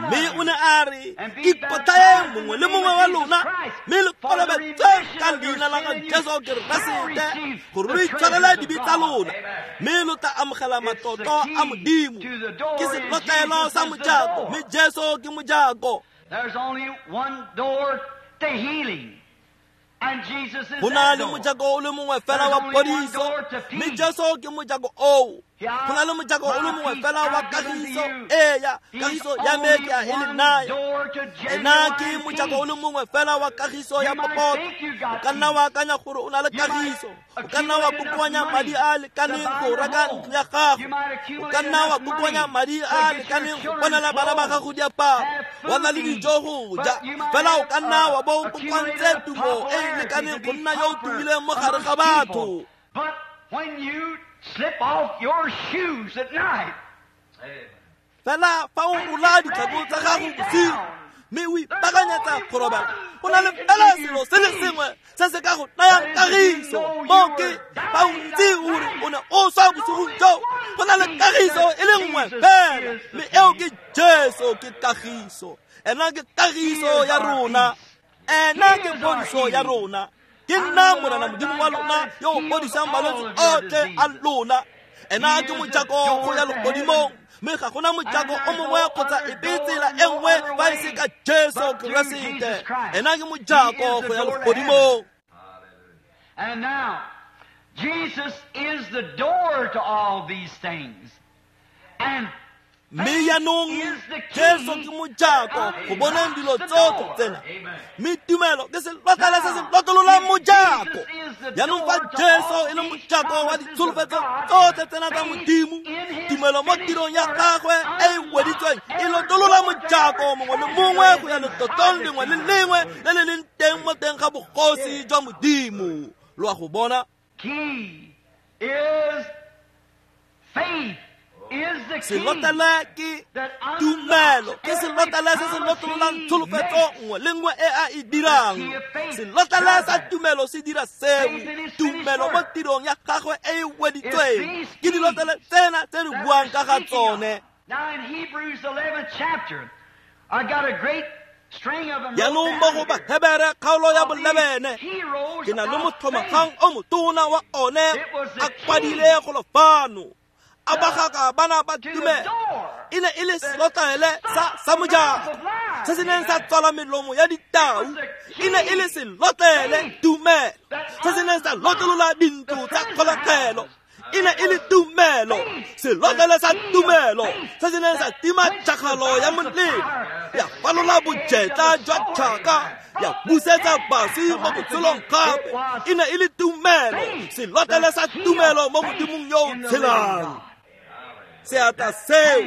Mme o ne a re, ikotlhaeng mongwe le mongwe wa lona, mme le kolobetsweng ka leina la ga Jesu Keresete gore lo itshwarele dibe tsa lona, mme lo tla amogela matlotlo a Modimo. Ke selotlelo sa mojako, mme Jesu ke mojako. There's only one door to healing, and Jesus is Go na that le door. mojako o le mongwe fela wa phodiso, mme Jesu ke mojako oo. Go na le mojako o le mongwe fela wa kagiso. Eya, kagiso ya me ke a e le naya. Ena ke mojako o le mongwe fela wa kagiso ya popota. O ka nna wa akanya gore o na le kagiso. O ka nna wa kokoanya madi a a lekaneng go reka ntlo ya gago. O ka nna wa kokoanya madi a a lekaneng go bonela bana ba gago diaparo, wa nna le dijo go ja. Fela o ka nna wa bo o kokoantse tumo e e lekaneng go nna yo o tumileng mo gare ga batho. But when you slip off your shoes at night, Fela fa o rola ditlhako tsa gago bosigo mme o ipaakanyetsa go robala, go na le fela selo se le sengwe se se ka go nayang kagiso. Mo ke fa o ntse gore o ne o swa bosigong joo, go na le kagiso e le nngwe fela, mme eo ke Jesu. Ke kagiso. Ena ke kagiso ya rona. Ena ke phodiso ya rona. Ke nna Morena Modimo wa lona yo o fodisang malwetse otlhe a lona. Ena ke mojako go ya legodimong, mme ga gona mojako o mongwe kgotsa epe tsela e nngwe fa e se ka Jesu Keresete. Ena ke mojako go ya legodimong. And now, Jesus is the door to all these things. And Mme jaanong Jesu ke mojako go boneng dilo tsotlhe tsena. Mme tumelo ke selotlele se se lotololang mojako. Jaanong fa Jesu e le mojako wa ditsholofetso tsotlhe tsena tsa Modimo, tumelo mo tirong ya gagwe e e weditsweng e lotolola mojako mongwe le mongwe go ya letlotlong lengwe le lengwe le le leng teng mo teng ga bogosi jwa Modimo. Lo a go bona? Key is faith. Is the key Selotlele ke tumelo, ke selotlele se se lotololang tsholofetso nngwe le nngwe e a e dirang. Selotlele sa tumelo se dira seo. Tumelo mo tirong ya gagwe e e weditsweng ke dilotlele tsena tse di buang ka ga tsone. Now in Hebrews 11th chapter, I got a great string of them Jaanong mo go Bahebere kgaolo ya bolebene, ke na le mothomagang o motona wa one a kwadile golo fano, a bagaka bana ba tumelo. E ne e le selotlele sa mojako se se neng sa tswala melomo ya ditau. E ne e le selotlele tumelo se se neng sa lotolola dintlo tsa kgolegelo. E ne e le tumelo, selotlele sa tumelo se se neng sa tima tšhakgalo ya molelo, ya falola bojetla jwa tšhaka, ya busetsa baswi mo botshelong gape. E ne e le tumelo, selotlele sa tumelo mo Modimong yo o tshelang. Seatla seo,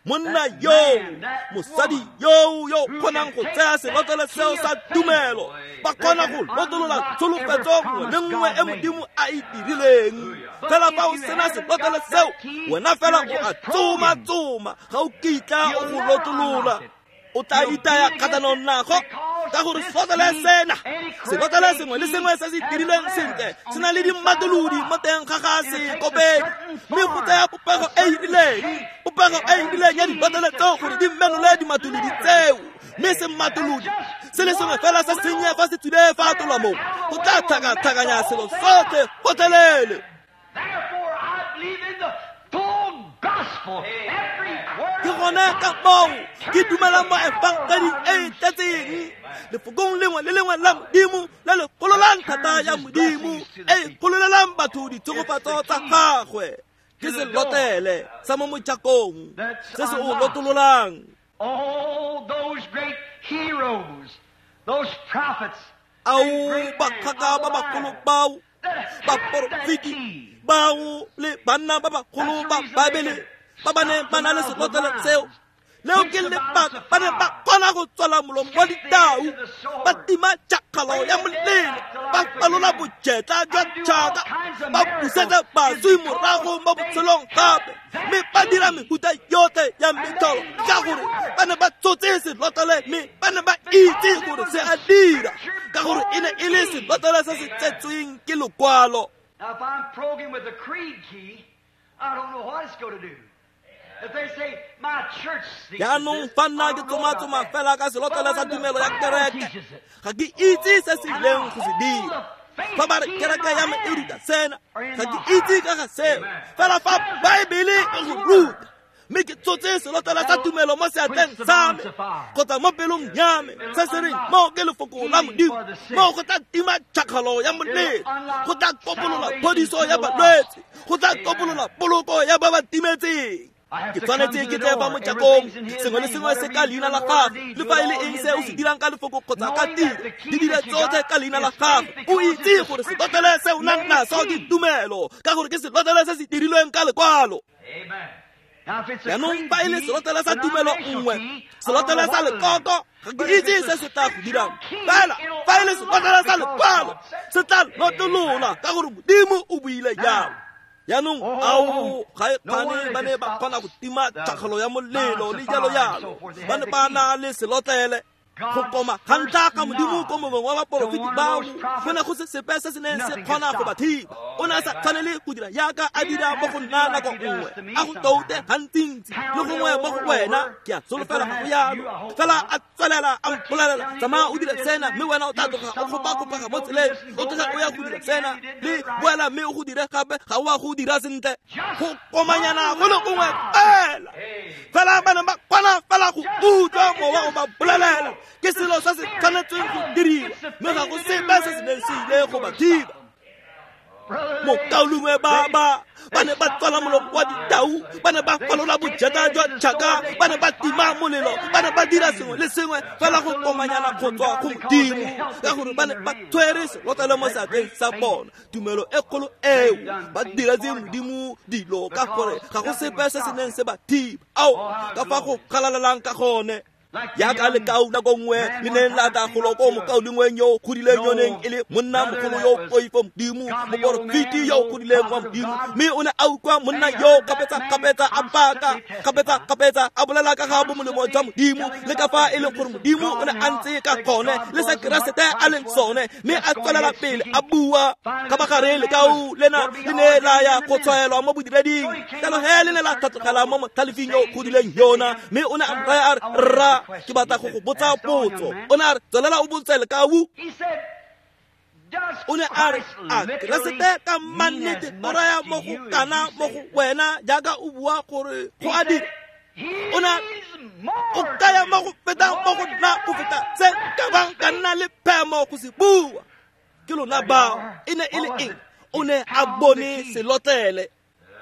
monna yoo, mosadi yoo yo kgonang go tsaya selotlele seo sa tumelo, ba kgona go lotolola tsholofetso nngwe le nngwe e Modimo a e dirileng. Fela fa o sena selotlele seo, wena fela o a tsoma-tsoma, ga o kitla o go lotolola. O tla itaya kgatlhanong nago, ka gore selotlele sena, selotlele sengwe le sengwe se se dirilweng sentle se na le dimatolodi mo teng ga ga sekopedi, mme go tsaya popego e e rileng, popego e e rileng ya dilotlele tseo gore di menole dimatolodi tseo. Mme sematolodi se le sengwe fela se sennye fa se tswile fa tolwa moo, go tla tlhakatlhakanya selo sotlhe gotlhelele. Therefore, I believe in the full gospel. Every word Ke gone ka moo ke dumelang mo efangeding e e tletseng, lefokong lengwe le lengwe la Modimo le le gololang thata ya Modimo e e gololelang batho ditshegofatso tsa gagwe. Ke selotlele sa mo mojakong se se o lotololang. Oh, those great heroes, those prophets, Ao and great men bakgaka of ba the bagolo Bible bao, that had that baporofeti key. bao le banna ba bagolo ba Baebele ba ba neng ba na le selotlele seo. Leo ke lebaka ba ne ba kgona go tswala molomo wa ditau, ba tima tšhakgalo ya molelo, ba falola bojetla jwa tšhaka, ba busetsa baswi morago mo botshelong gape, mme ba dira mehuta yotlhe ya metlholo ka gore ba ne ba tsotse selotlele, mme ba ne ba itse gore se a dira, ka gore e ne e le selotlele se se tsetsweng ke lokwalo. Now, if I'm programmed with a creed key, I don't know what it's going to do. If they say, my church teaches Jaanong this, fa nna I ke don't know about tsoma-tsoma that. fela ka selotlele But sa when the tumelo ya Bible kereke, teaches it, ga ke itse se se ileng go se dira. Fa ba re kereke ya me e ruta sena, ga ke itse ka ga seo. Fela fa Baebele e go ruta, Mme ke tsotse selotlele sa tumelo mo seatleng sa me kgotsa mo pelong ya me, se se reng mo ke lefoko la Modimo, mo go tla tima tšhakgalo ya molelo, go tla kopolola phodiso ya balwetse, go tla kopolola poloko ya ba ba timetseng. Ke tshwanetse ke tle fa mojakong, sengwe le sengwe se ka leina la gagwe, le fa e le eng se o se dirang ka lefoko kgotsa ka tiro, di dire tsotlhe ka leina la gagwe. O itse gore selotlele se o nang naso ke tumelo, ka gore ke selotlele se se dirilweng ka lekwalo. Jaanong fa e le selotlele sa tumelo nngwe, selotlele sa lekoko, ga ke itse se se tla go dirang. Fela fa e le selotlele sa lekwalo, se tla lotolola ka gore Modimo o buile jalo. Jaanong ao ga e kgane ba ne ba kgona go tima tšhakgalo ya molelo le jalo jalo, ba ne ba na le selotlele. Go koma ga ntlha ga Modimo ko mongwe wa baporofeti bao, go ne go se sepe se se neng se kgona go ba thiba. O ne a sa tshwanele go dira jaaka a dira mo go nna nako nngwe, a go toute gantsintsi le gongwe mo go wena, ke a solofela ga go yalo. Fela a tswelela a mpolelela, tsamaya o dire sena, mme wena o tla tloga o kgopakgopega mo tseleng, o tloga o ya go dira sena, le boela mme o go dire gape, ga o a go dira sentle. Go komanyana go le gongwe fela. Fela ba ne ba kgona fela go utlwa mowa o ba bolelela ke selo se se tshwanetseng go diriwa, mme ga go sepe se se neng se ile go ba thiba. Mokaulengwe ba ba ne ba tswala molomo wa ditau, ba ne ba falola bojata jwa tšhaka, ba ne ba tima molelo, ba ne ba dira sengwe le sengwe fela go komanyana go tswa go Modimo, ka gore ba ne ba tshwere selotlele mo seatleng sa bona. Tumelo e kgolo eo ba diretse Modimo dilo, ka gore ga go sepe se se neng se ba thiba. Ao, ka fa go galalelang ka gone. Jaaka lekau nako nngwe le neng la tla golo ko mokaulengweng yo o godileng yo neng e le monna mogolo yo o poifo Modimo, moporofeti yo o godileng wa Modimo, mme o ne a utlwa monna yo kgapetsa-kgapetsa a baka, kgapetsa-kgapetsa a bolela ka ga bomolemo jwa Modimo le ka fa e leng gore Modimo o ne a ntse ka gone le se Keresete a leng sone, mme a tswelela pele a bua. Ka bagare lekau lena le ne la ya go tshwaelwa mo bodireding, jalo he le ne la tlhatlogela mo motlhalefing yo o godileng yona, mme o ne a mo raya a re, rra, ke batla go go botsa potso. O ne a re, tswelela o botse lekau. O ne a re, a Keresete ka mannete o raya mo go kana mo go wena jaaka o bua gore go a dira? O ne o kaya mo go fetang mo go nna go feta se ka bang ka nna le phemo go se bua. Ke lona bao. E ne e le eng? O ne a bone selotlele.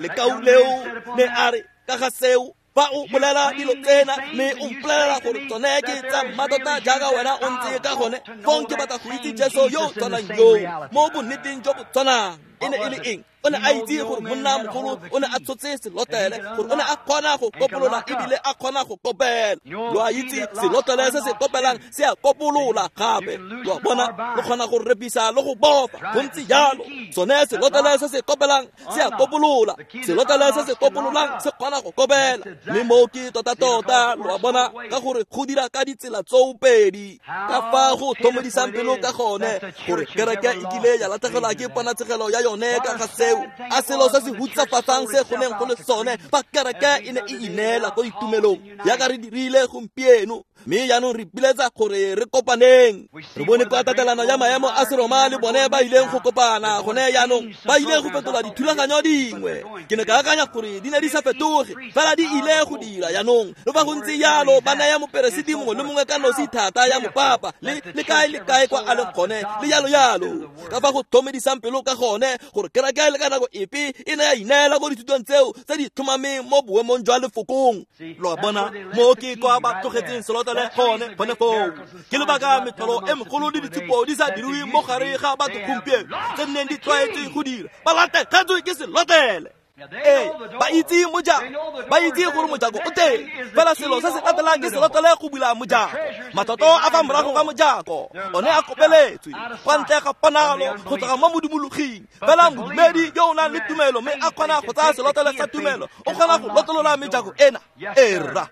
Lekau leo ne a re ka ga seo, fa o bolela dilo tsena mme o mpolelela gore tsone ke tsa mmatota jaaka wena o ntse ka gone, fong ke batla go itse Jesu yo o tshwanang yoo mo bonneteng jo bo tshwanang. E ne e le eng? O ne a itse gore monna mogolo o ne a tshotse selotlele, gore o ne a kgona go kopolola ebile a kgona go kopela. Lo a itse selotlele se se kopelang se a kopolola gape. Lo a bona, lo kgona go repisa le go bofa, go ntse jalo. Sone selotlele se se kopelang se a kopolola, selotlele se se kopololang se kgona go kopela. Mme moo ke tota-tota, lo a bona, ka gore go dira ka ditsela tsoopedi. Ka fa go tlhomodisang pelo ka gone gore kereke e kile ya latlhegelwa ke ponatshegelo ya yone ka ga seo, a selo se se hutsafatsang se go neng go le sone fa kereke e ne e ineela ko ditumelong jaaka re dirile gompieno. Mme jaanong re ipiletsa gore re kopaneng. Re bone kwa tatelano ya maemo a Seroma le bone ba ileng go kopana gone jaanong, ba ile go fetola dithulaganyo dingwe. Ke ne ka akanya gore di ne di sa fetoge, fela di ile go dira jaanong. Le fa go ntse jalo, ba naya moperesiti mongwe le mongwe ka nosi thata ya mopapa le le kae le kae kwa a leng gone, le jalo jalo. Ka fa go tlhomedisang pelo ka gone gore kereke le ka nako epe e ne ya ineela ko dithutong tseo tse di tlhomameng mo boemong jwa lefokong. Lo a bona, mo ke kwa ba tlogetseng selotlele gone gone foo. Ke lebaka metlholo e megolo le ditshupo di sa diriwe mo gare ga batho gompieno tse neng di tlwaetswe go dira, ba latlhegetswe ke selotlele. Ee, ba itse mojako, ba itse gore mojako o teng, fela selo se se latelang ke selotlele go bula mojako. Matlotlo a fa morago ga mojako one a kopeletswe kwa ntle ga ponalo go tloga mo modumologing. Fela modumedi yo o nang le tumelo mme a kgona go tsaya selotlele sa tumelo, o kgona go lotlolola mejako ena. Ee, rra.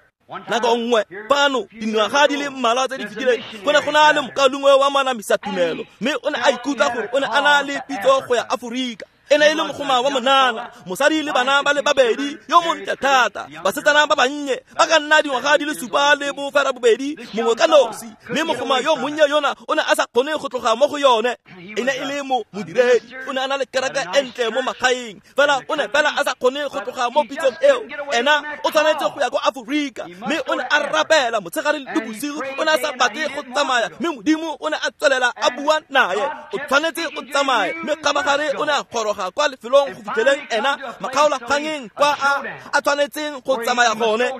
Nako nngwe fano dingwaga di le mmalwa tse di fetileng, go ne go na le mokaulengwe wa manamisa tumelo, mme o ne a ikutlwa gore o ne a na le pitso go ya Aforika. E ne e le mogoma wa monana, mosadi le bana ba le babedi, yo montle thata, basetsana ba bannye ba ka nna dingwaga di le 7 le 8, mongwe ka nosi. Mme mogoma yo monnye yona o ne a sa kgone go tloga mo go yone. E ne e le modiredi, o ne a na le kereke e ntle mo magaeng, fela o ne fela a sa kgone go tloga mo pitsong eo. Ena o tshwanetse go ya ko Aforika, mme o ne a rapela motshegare le bosigo, o ne a sa batle go tsamaya, mme Modimo o ne a tswelela a bua naye, o tshwanetse o tsamaye. Mme kgabagare o ne a goroga kwa lefelong go fitlheleng ena makgaolakgangeng kwa a tshwanetseng go tsamaya gone.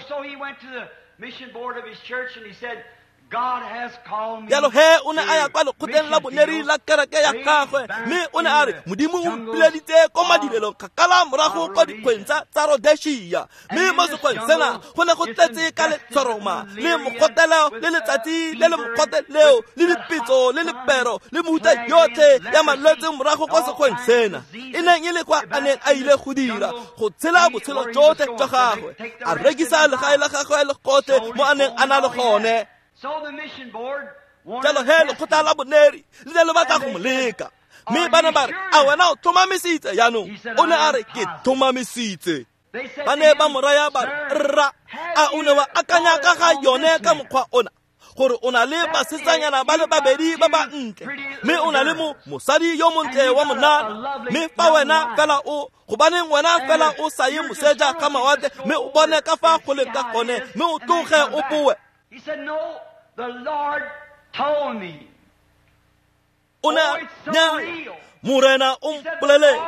Jalo he o ne a ya kwa lekgotleng la boneri la kereke ya gagwe, mme o ne a re Modimo o mpileditse ko madirelong kgakala morago kwa dikgweng tsa Rhodesia. Mme mo sekgweng sena go ne go tletse ka letshoroma le mogotelo le letsatsi le le mogote leo le dipetso le lepero le mehuta yotlhe ya malwetse morago kwa sekgweng sena, e neng e le kwa a neng a ile go dira go tshela botshelo jotlhe jwa gagwe, a rekisa legae la gagwe le gotlhe mo a neng a na le gone. Jalo he lekgotla la boneri le ne le batla go mo leka, mme ba ne ba re, a wena o tlhomamisitse jaanong? O ne a re, ke tlhomamisitse. Ba ne ba mo raya ba re, rra, a o ne wa akanya ka ga yone ka mokgwa ona, gore o na le basetsanyana ba le babedi ba ba ntle, mme o na le mosadi yo montle wa monana, mme fa wena fela o gobaneng wena fela o sa ye moseja ga mawatle, mme o bone ka fa go leng ka gone, mme o tloge o boe. He said, no, the Lord told me. O ne a Morena o mpoleletse,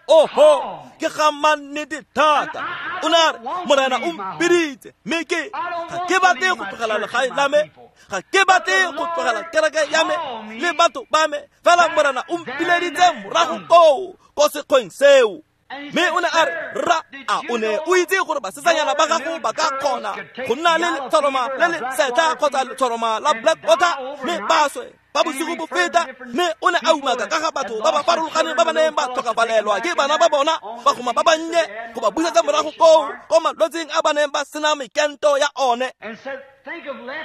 oho, ke ga mannete thata. O ne a re, Morena o mpiditse, mme ke ga ke batle go tlogela legae la me, ga ke batle go tlogela kereke ya me le batho ba me, fela Morena o mpileditse morago koo ko sekgweng seo. Mme o ne a re, rra, a o ne o itse gore basetsanyana ba gago ba ka kgona go nna le letshoroma le le setlha kgotsa letshoroma la black water, mme ba swe ba bosigo bo feta? Mme o ne a umaka ka ga batho ba ba farologaneng ba ba neng ba tlhokafalelwa ke bana ba bona, bagoma ba bannye, go ba busetsa morago koo ko malwetseng a ba neng ba sena mekento ya one.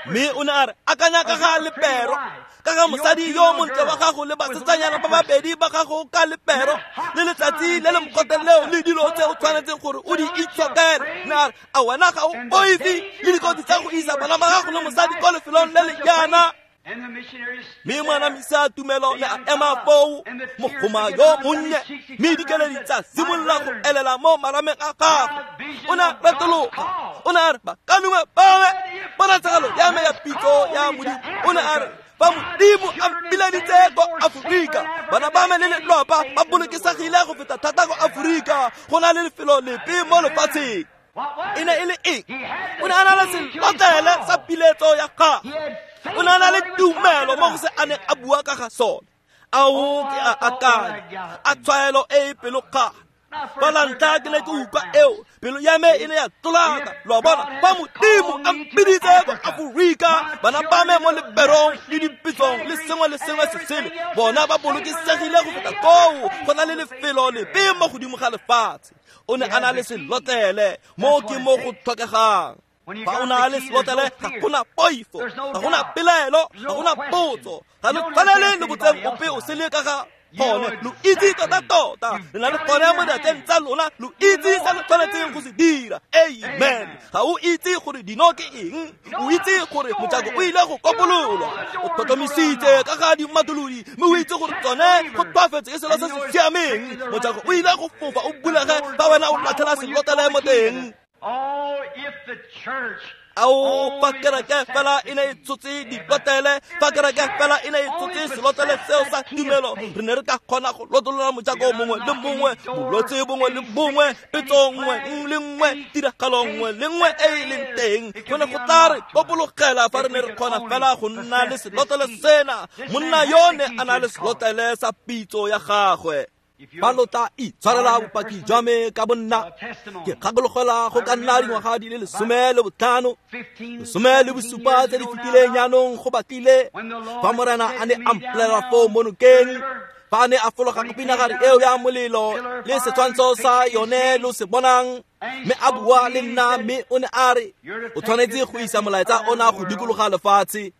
Mme o ne a re, akanya ka ga lepero, ka ga mosadi yo montle wa gago le basetsanyana ba babedi ba gago ka lepero le letsatsi le le mogote leo le dilo tse o tshwanetseng gore o di itshokele. Mme a re, a wena ga o boife le dikotsi tsa go isa bana ba gago le mosadi ko lefelong le le jaana? Mme moanamisa tumelo ne a ema foo, mogoma yo monnye, mme dikeledi tsa simolola go elela mo marameng a gagwe. O ne a retologa, o ne a re, bakanungwe ba me, ponatshegelo ya me ya pitso ya Modimo. O ne a re, fa Modimo a mpileditse ko Aforika, bana ba me le lelapa ba bolokesegile go feta thata ko Aforika go na le lefelo lepe mo lefatsheng. E ne e le eng? O ne a na le selotlele sa piletso ya gagwe. O ne a na le tumelo mo go se a neng a bua ka ga sone. Ao ke a akanya, a tshwaelo e e pelokgale. Fa la ntlha ke ne ke utlwa eo, pelo ya me e ne ya tlolaka. Lo a bona, fa Modimo a mpiditse ko Aforika, bana ba me mo leperong le dipitsong le sengwe le sengwe se sele, bona ba bolokesegile go feta koo go na le lefelo lepe mo godimo ga lefatshe. O ne a na le selotlele, mo ke mo go tlhokegang. Fa o na le selotlele, ga gona poifo, ga gona pelaelo, ga gona potso, ga lo tshwanele le botseng ope o sele ka ga gone. Lo itse tota-tota, le na le gone mo diatleng tsa lona, lo itse se lo tshwanetseng go se dira. Amen. Ga o itse gore dino ke eng, o itse gore mojako o ile go kopololwa, o tlhotlhomisitse ka ga dimatolodi, mme o itse gore tsone go tlhoafetse ke selo se se siameng. Mojako o ile go fofa o bulege fa wena o latlhela selotlele mo teng. Ao, fa kereke fela e ne e tshotse dilotlele, fa kereke fela e ne e tshotse selotlele seo sa tumelo, re ne re ka kgona go lotolola mojako mongwe le mongwe, bolwetse bongwe le bongwe, petso nngwe le nngwe, tiragalo nngwe le nngwe e e leng teng. Go ne go tla re kopologela fa re ne re kgona fela go nna le selotlele sena. Monna yo ne a na le selotlele sa pitso ya gagwe. Fa lo tla itshwarela bopaki jwa me ka bonna, ke gakologelwa go ka nna dingwaga di le 15, 17 tse di fetileng jaanong go batlile, fa Morena a ne a mpolelela foo mo nokeng, fa a ne a fologa ka pinagare eo ya molelo le setshwantsho sa yone lo se bonang, mme a bua le nna, mme o ne a re, o tshwanetse go isa molaetsa ona go dikologa lefatshe.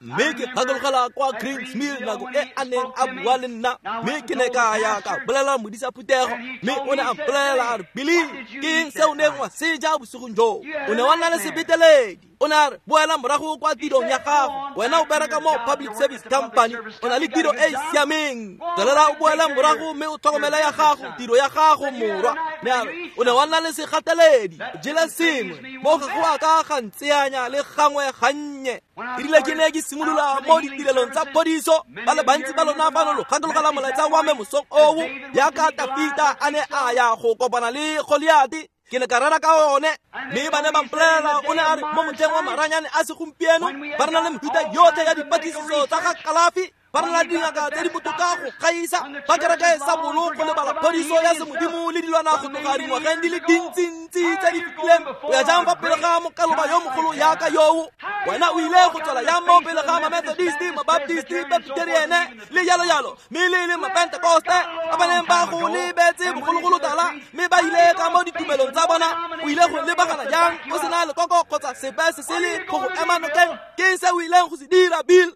Mme ke gakologela kwa Greens Mill nako e a neng a bua le nna, mme ke ne ka ya ka bolelela modisa phuthego, mme o ne a mpolelela a re, Billy, ke eng se o neng wa se ja bosigong joo? O ne wa nna le sebeteledi. O ne a re, boela morago kwa tirong ya gago, wena o bereka mo Public Service Company, o na le tiro e e siameng, tswelela o boela morago mme o tlhokomele ya gago tiro ya gago morwa. Ne a re, o ne wa nna le segateledi, o jele sengwe mo ga go a ka ga ntseanya le gangwe gannye. Erile ke ne ke simolola mo ditirelong tsa phodiso, ba le bantsi ba lona fano lo gakologela molaetsa wa me mosong oo, jaaka Tafita a ne a ya go kopana le Goliate. Ke ne ka rera ka one, mme ba ne ba mpolelela, o ne a re, mo motlheng wa maranyane a segompieno ba re na le mefuta yotlhe ya dipatlisiso tsa ga kalafi, ba re na le dingaka tse di botoka go gaisa, ba kereke sa bolo go lebala phodiso ya semodimo le dilwana go tloga dingwageng di le dintsintsi tse di fetileng. O ya jang fa pele ga mokaloba yo mogolo yaka yoo? Wena o ile go tswela yang mo pele ga ma-Methodist, ma-Baptist, Presbyterian le jalo jalo, mme le le ma-Pentecoste ba ba neng ba go lebetse bogologolo tala, mme ba ile ka mo ditumelong tsa bona. O ile go lebagana jang o sena lekoko kgotsa sepe se sele go go ema nokeng? Ke eng se o ileng go se dira, Bill?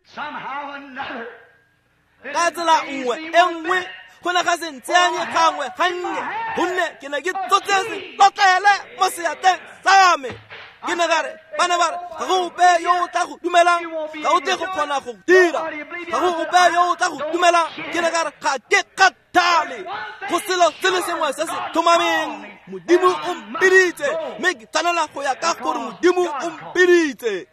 Ka tsela nngwe e nngwe go ne ga se ntseanye gangwe gannye, gonne ke ne ke tsotse selotlele mo seatleng sa me. Ke ne ka re, ba ne ba re, ga go ope yo o tla go dumelang, ga o tle go kgona go dira, ga go ope yo o tla go dumelang. Ke ne ka re, ga ke kgathale, go selo se le sengwe se se tlhomameng, Modimo o mpiditse, mme ke tshwanela go ya ka gore Modimo o mpiditse.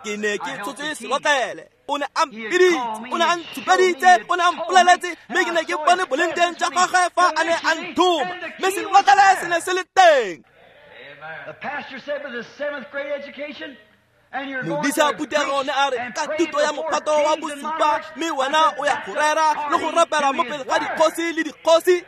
Ke ne ke tshotse selotlele, o ne a mpiditse, o ne a ntshupeditse, o ne a mpoleletse, mme ke ne ke bone boleng teng jwa gagwe fa a ne a nthoma, mme selotlele se ne se le teng. Modisa phuthego ne a re, ka thuto ya mophato wa bosupa, mme wena o ya go rera le go rapela mo pele ga dikgosi le dikgosi.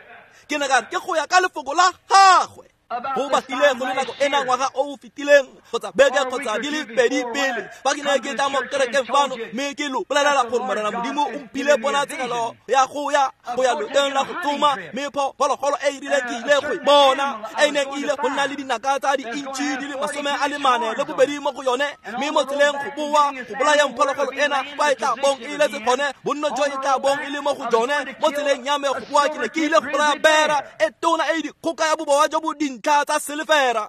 Ke ne ka re, ke go ya ka lefoko la gagwe. Go batlile go le nako ena ngwaga o o fetileng kgotsa beke kgotsa di le pedi pele, fa ke ne ke tla mo kerekeng fano, mme ke lo bolelela gore Morena Modimo o mphile ponatshegelo ya go ya loteng la go tsoma, mme phologolo e e rileng ke ile go e bona, e neng e ile go nna le dinaka tsa di-inch di le 42 mo go yone, mme mo tseleng go boa go bolayang phologolo ena fa e tla bong e letse gone, bonno jo e tla bong e le mo go jone. Mo tseleng ya me go boa ke ne ke ile go bolaya bera e tona e dikgoka ya bobowa jo bo dintlha tsa silefera.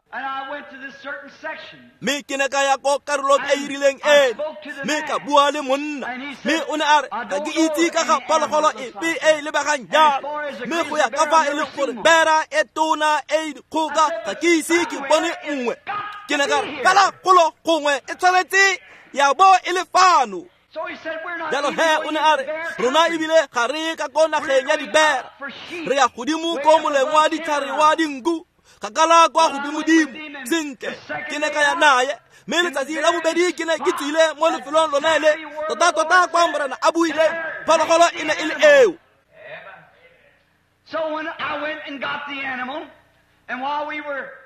Mme ke ne ka ya ko karolong e e rileng eno, mme ka bua le monna, mme o ne a re, ga ke itse ka ga phologolo epe e e lebegang jalo, mme go ya ka fa e leng gore bera e tona e dikgoka ga ke ise ke bone nngwe. Ke ne ka re, fela golo gongwe e tshwanetse ya bo e le fano. Jalo he o ne a re, rona ebile ga re ka ko nageng ya dibera, re ya godimo ko moleng wa ditlhare wa dinku, kgakala kwa godimodimo. Sentle, ke ne ka ya naye, mme letsatsi la bobedi ke ne ke tswile mo lefelong lone le, tota-tota kwa Morena a buileng, phologolo e ne e le eo.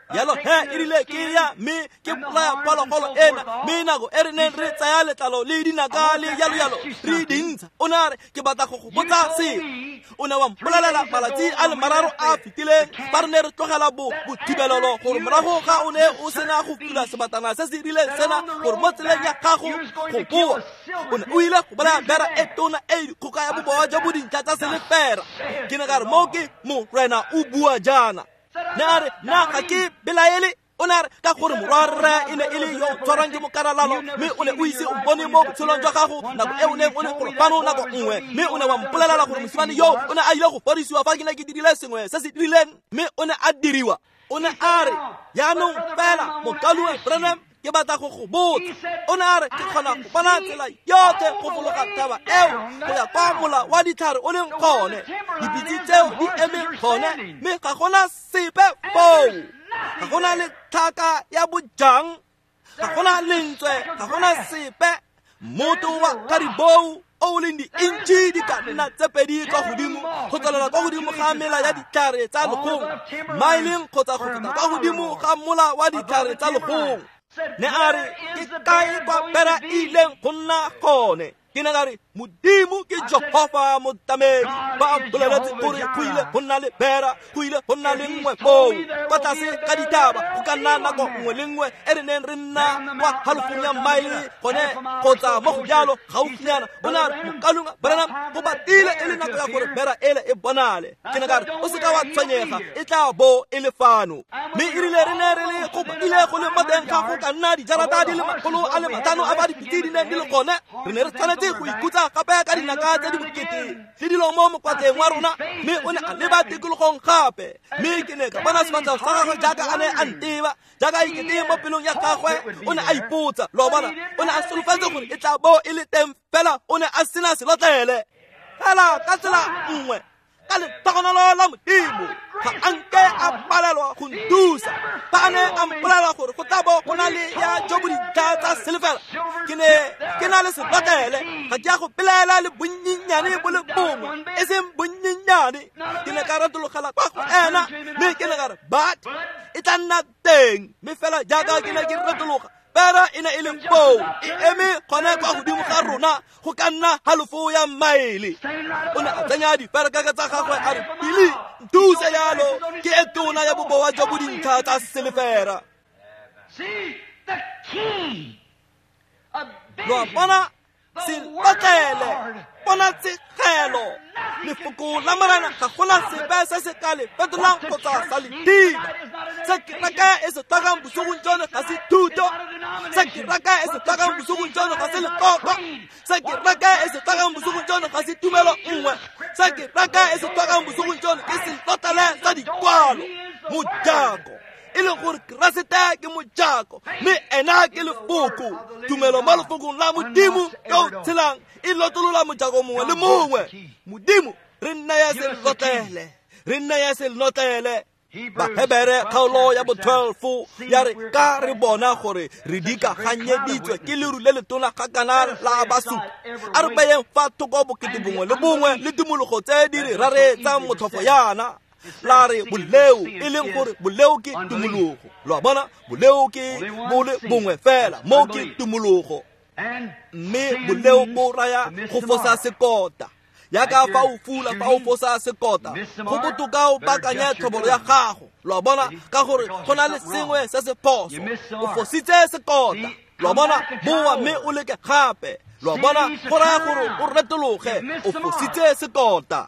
Jalo he e rile ke ya mme ke bolaya phologolo ena, mme nako e re neng re tsaya letlalo le dinaka le jalo jalo re dintsha, o ne a re, ke batla go go botsa sengwe. O ne wa mpolelela malatsi a le mararo a fetileng fa re ne re tlogela bothibelelo gore morago ga o ne o sena go fula sebatana se se rileng sena gore mo tseleng ya gago go boa o ne o ile go bolaya bera e tona e dikgoka ya bobowa jo bo dintlha tsa selefera. Ke ne ka re, mo ke Morena o bua jaana. Ne a re, nna ga ke belaele. O ne a re, ka gore morwarre e ne e le yo tshwarang ke mokaralalo, mme o ne o ise o bone mo botshelong jwa gago nako e o neng o le golo fano nako nngwe, mme o ne wa mpolelela gore mosimane yo o ne a ile go fodisiwa fa ke ne ke dirile sengwe se se dirileng, mme o ne a diriwa. O ne a re, jaanong fela mokaluwe Branham, ke batla go go botsa. O ne a re, ke kgona go bona tsela yotlhe go fologa thaba eo go ya kwa mola wa ditlhare o leng gone, dipitse tseo di eme gone, mme ga gona sepe foo, ga gona le tlhaka ya bojang, ga gona lentswe, ga gona sepe. Mmoto wa karibou o leng di-inch di ka nna tse pedi kwa godimo go tswelela kwa godimo ga mela ya ditlhare tsa legong, maeleng kgotsa go feta kwa godimo ga mola wa ditlhare tsa legong. Ne a re, ke kae kwa bera e ileng go nna gone? Ke ne ka re Modimo ke Jehofa motlamedi. Ba mpoleletse gore go ile go nna le bera, go ile go nna le nngwe foo kwa tlase ga dithaba. Go ka nna nako nngwe le nngwe e re neng re nna kwa halofong ya maele gone kgotsa mo go jalo gaufinyana. O ne a re, Mokalunga Branham, go batile e le nako ya gore bera ele e bonale. Ke ne ka re, o seka wa tshwenyega, e tla bo e le fano. Mme erile re ne re le go ile go le mo teng ga go ka nna dijarata di le 500 a ba dipitse di neng di le gone. Re ne re tshwanetse go ikutsa gape ka dinaka tse di bokete le dilo mo mokwatleng wa rona. Mme o ne a leba tikologong gape, mme ke ne ka bona sefatlhego sa gagwe jaaka a ne a nteba, jaaka ikete mo pelong ya gagwe. O ne a ipotsa, lo a bona, o ne a solofetse gore e tla bo e le teng, fela o ne a sena selotlele. Fela ka tsela nngwe, ka letogonolo la Modimo, ga a nke a palelwa go nthusa. Fa a ne a mpolelela gore go tla bo go na le ya jo bo dintlha tsa selefela, ke ne ke na le selotlele. Ga ke a go pelaela le bonnyenyane bo le bongwe, e seng bonnyenyane. Ke ne ka retologela kwa go ena, mme ke ne ka re, but e tla nna teng. Mme fela jaaka ke ne ke retologa, pera e ne e le foo, e eme gone kwa godimo ga rona go ka nna halofo ya maele. O ne a tsenya diferekeke tsa gagwe a re, Billy, nthuse jalo, ke e tona ya bobowa jo bo dintlha tsa selefera. Lo a bona, selotlele, bona tshegelo, lefoko la Morena ga gona sepe se se ka le fetolang kgotsa sa le thiba. Se kereke e se tlhokang bosigong jono ga se thuto. Se kereke e se tlhokang bosigong jono ga se lekoko. Se kereke e se tlhokang bosigong jono ga se tumelo nngwe. Se kereke e se tlhokang bosigong jono ke selotlele sa dikwalo, mojako. E leng gore Keresete ke mojako, mme ena ke lefoko. Tumelo mo lefokong la Modimo yo o tshelang e lotolola mojako mongwe le mongwe. Modimo, re nna ya selotlele, re nna ya selotlele. Bahebere kgaolo ya bo 12 ya re, ka re bona gore re dikaganyeditswe ke leru le letona ga kana la basupi, a re beyeng fa thoko bokete bongwe le bongwe le tumologo tse di re raretsang motlhofo yana. La re boleo, e leng gore boleo ke tumologo. Lo a bona, boleo ke bole bongwe fela, mo ke tumologo. Mme boleo bo raya go fosa sekota. Yaka fa o fula, fa o fosa sekota, go botoka o baakanye tlhobolo ya gago. Lo a bona, ka gore go na le sengwe se se phoso, o fositse sekota. Lo a bona, boa mme o leke gape. Lo a bona, go raya gore o retologe, o fositse sekota.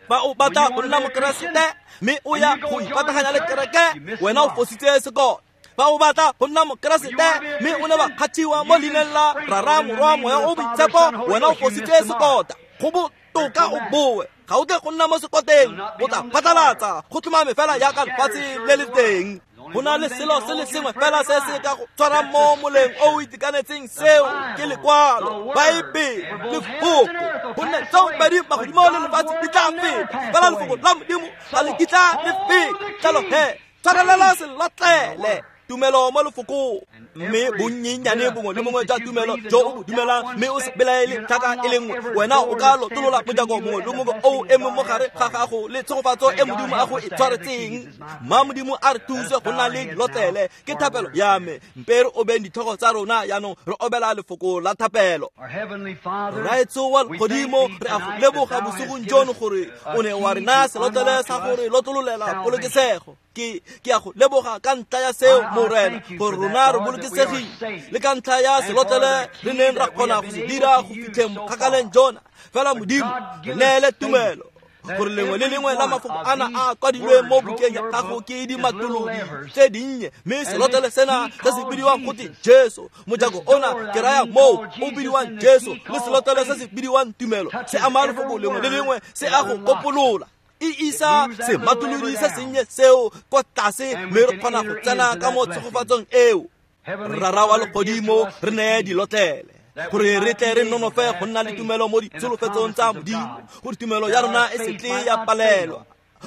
Fa o batla go nna Mokeresete mme o ya go ipataganya le kereke, wena o fositse sekota. Fa o batla go nna Mokeresete mme o ne wa kgathiwa mo leineng la Rara, Morwa, Moya o Boitshepo, wena o fositse sekota. Go botoka o boe, ga o tle go nna mo sekoteng, o tla phatlalatsa go tlhomame fela jaaka lefatshe le le teng. Go na le selo se le sengwe fela se se ka go tshwarang mo moleng o o itekanetseng, seo ke lekwalo, Baebele, lefoko. Gonne tseo pedi magodimo le lefatshe di tla feta, fela lefoko la Modimo ga le kitla le feta. Jalo he, tshwarelela selotlele, tumelo mo lefokong. Mme bonnyenyane bongwe le bongwe jwa tumelo jo o bo dumelang, mme o se belaele tlhaka e le nngwe, wena o ka lotolola mojako mongwe le mongwe o emeng mo gare ga gago le tshegofatso e Modimo a go e tshwaretseng. Mma Modimo a re thuse go nna le dilotlele, ke thapelo ya me. Mpe re obeng ditlhogo tsa rona jaanong, re obela lefoko la thapelo. Rraetsho wa legodimo, re a go leboga bosigong jono gore o ne wa re naya selotlele sa gore lotololela polokesego. Ke a go leboga ka ntlha ya seo, Morena, gore rona re bolokesegile, le ka ntlha ya selotlele re neng ra kgona go se dira go fitlheng kgakaleng jona. Fela Modimo, re neele tumelo gore lengwe le lengwe la mafoko ana a kwadilweng mo bukeng ya gago ke dimatolodi tse dinnye, mme selotlele sena se se bidiwang gote Jesu, mojako ona ke raya moo o bidiwang Jesu, le selotlele se se bidiwang tumelo se ama lefoko lengwe le lengwe, se a go kopolola. E isa sematolodi se sennye seo kwa tlase, mme re kgona go tsena ka mo tshegofatsong eo. Rara wa legodimo, re neye dilotlele gore re tle re nonofe go nna le tumelo mo ditsholofetsong tsa Modimo, gore tumelo ya rona e se tle ya palelwa,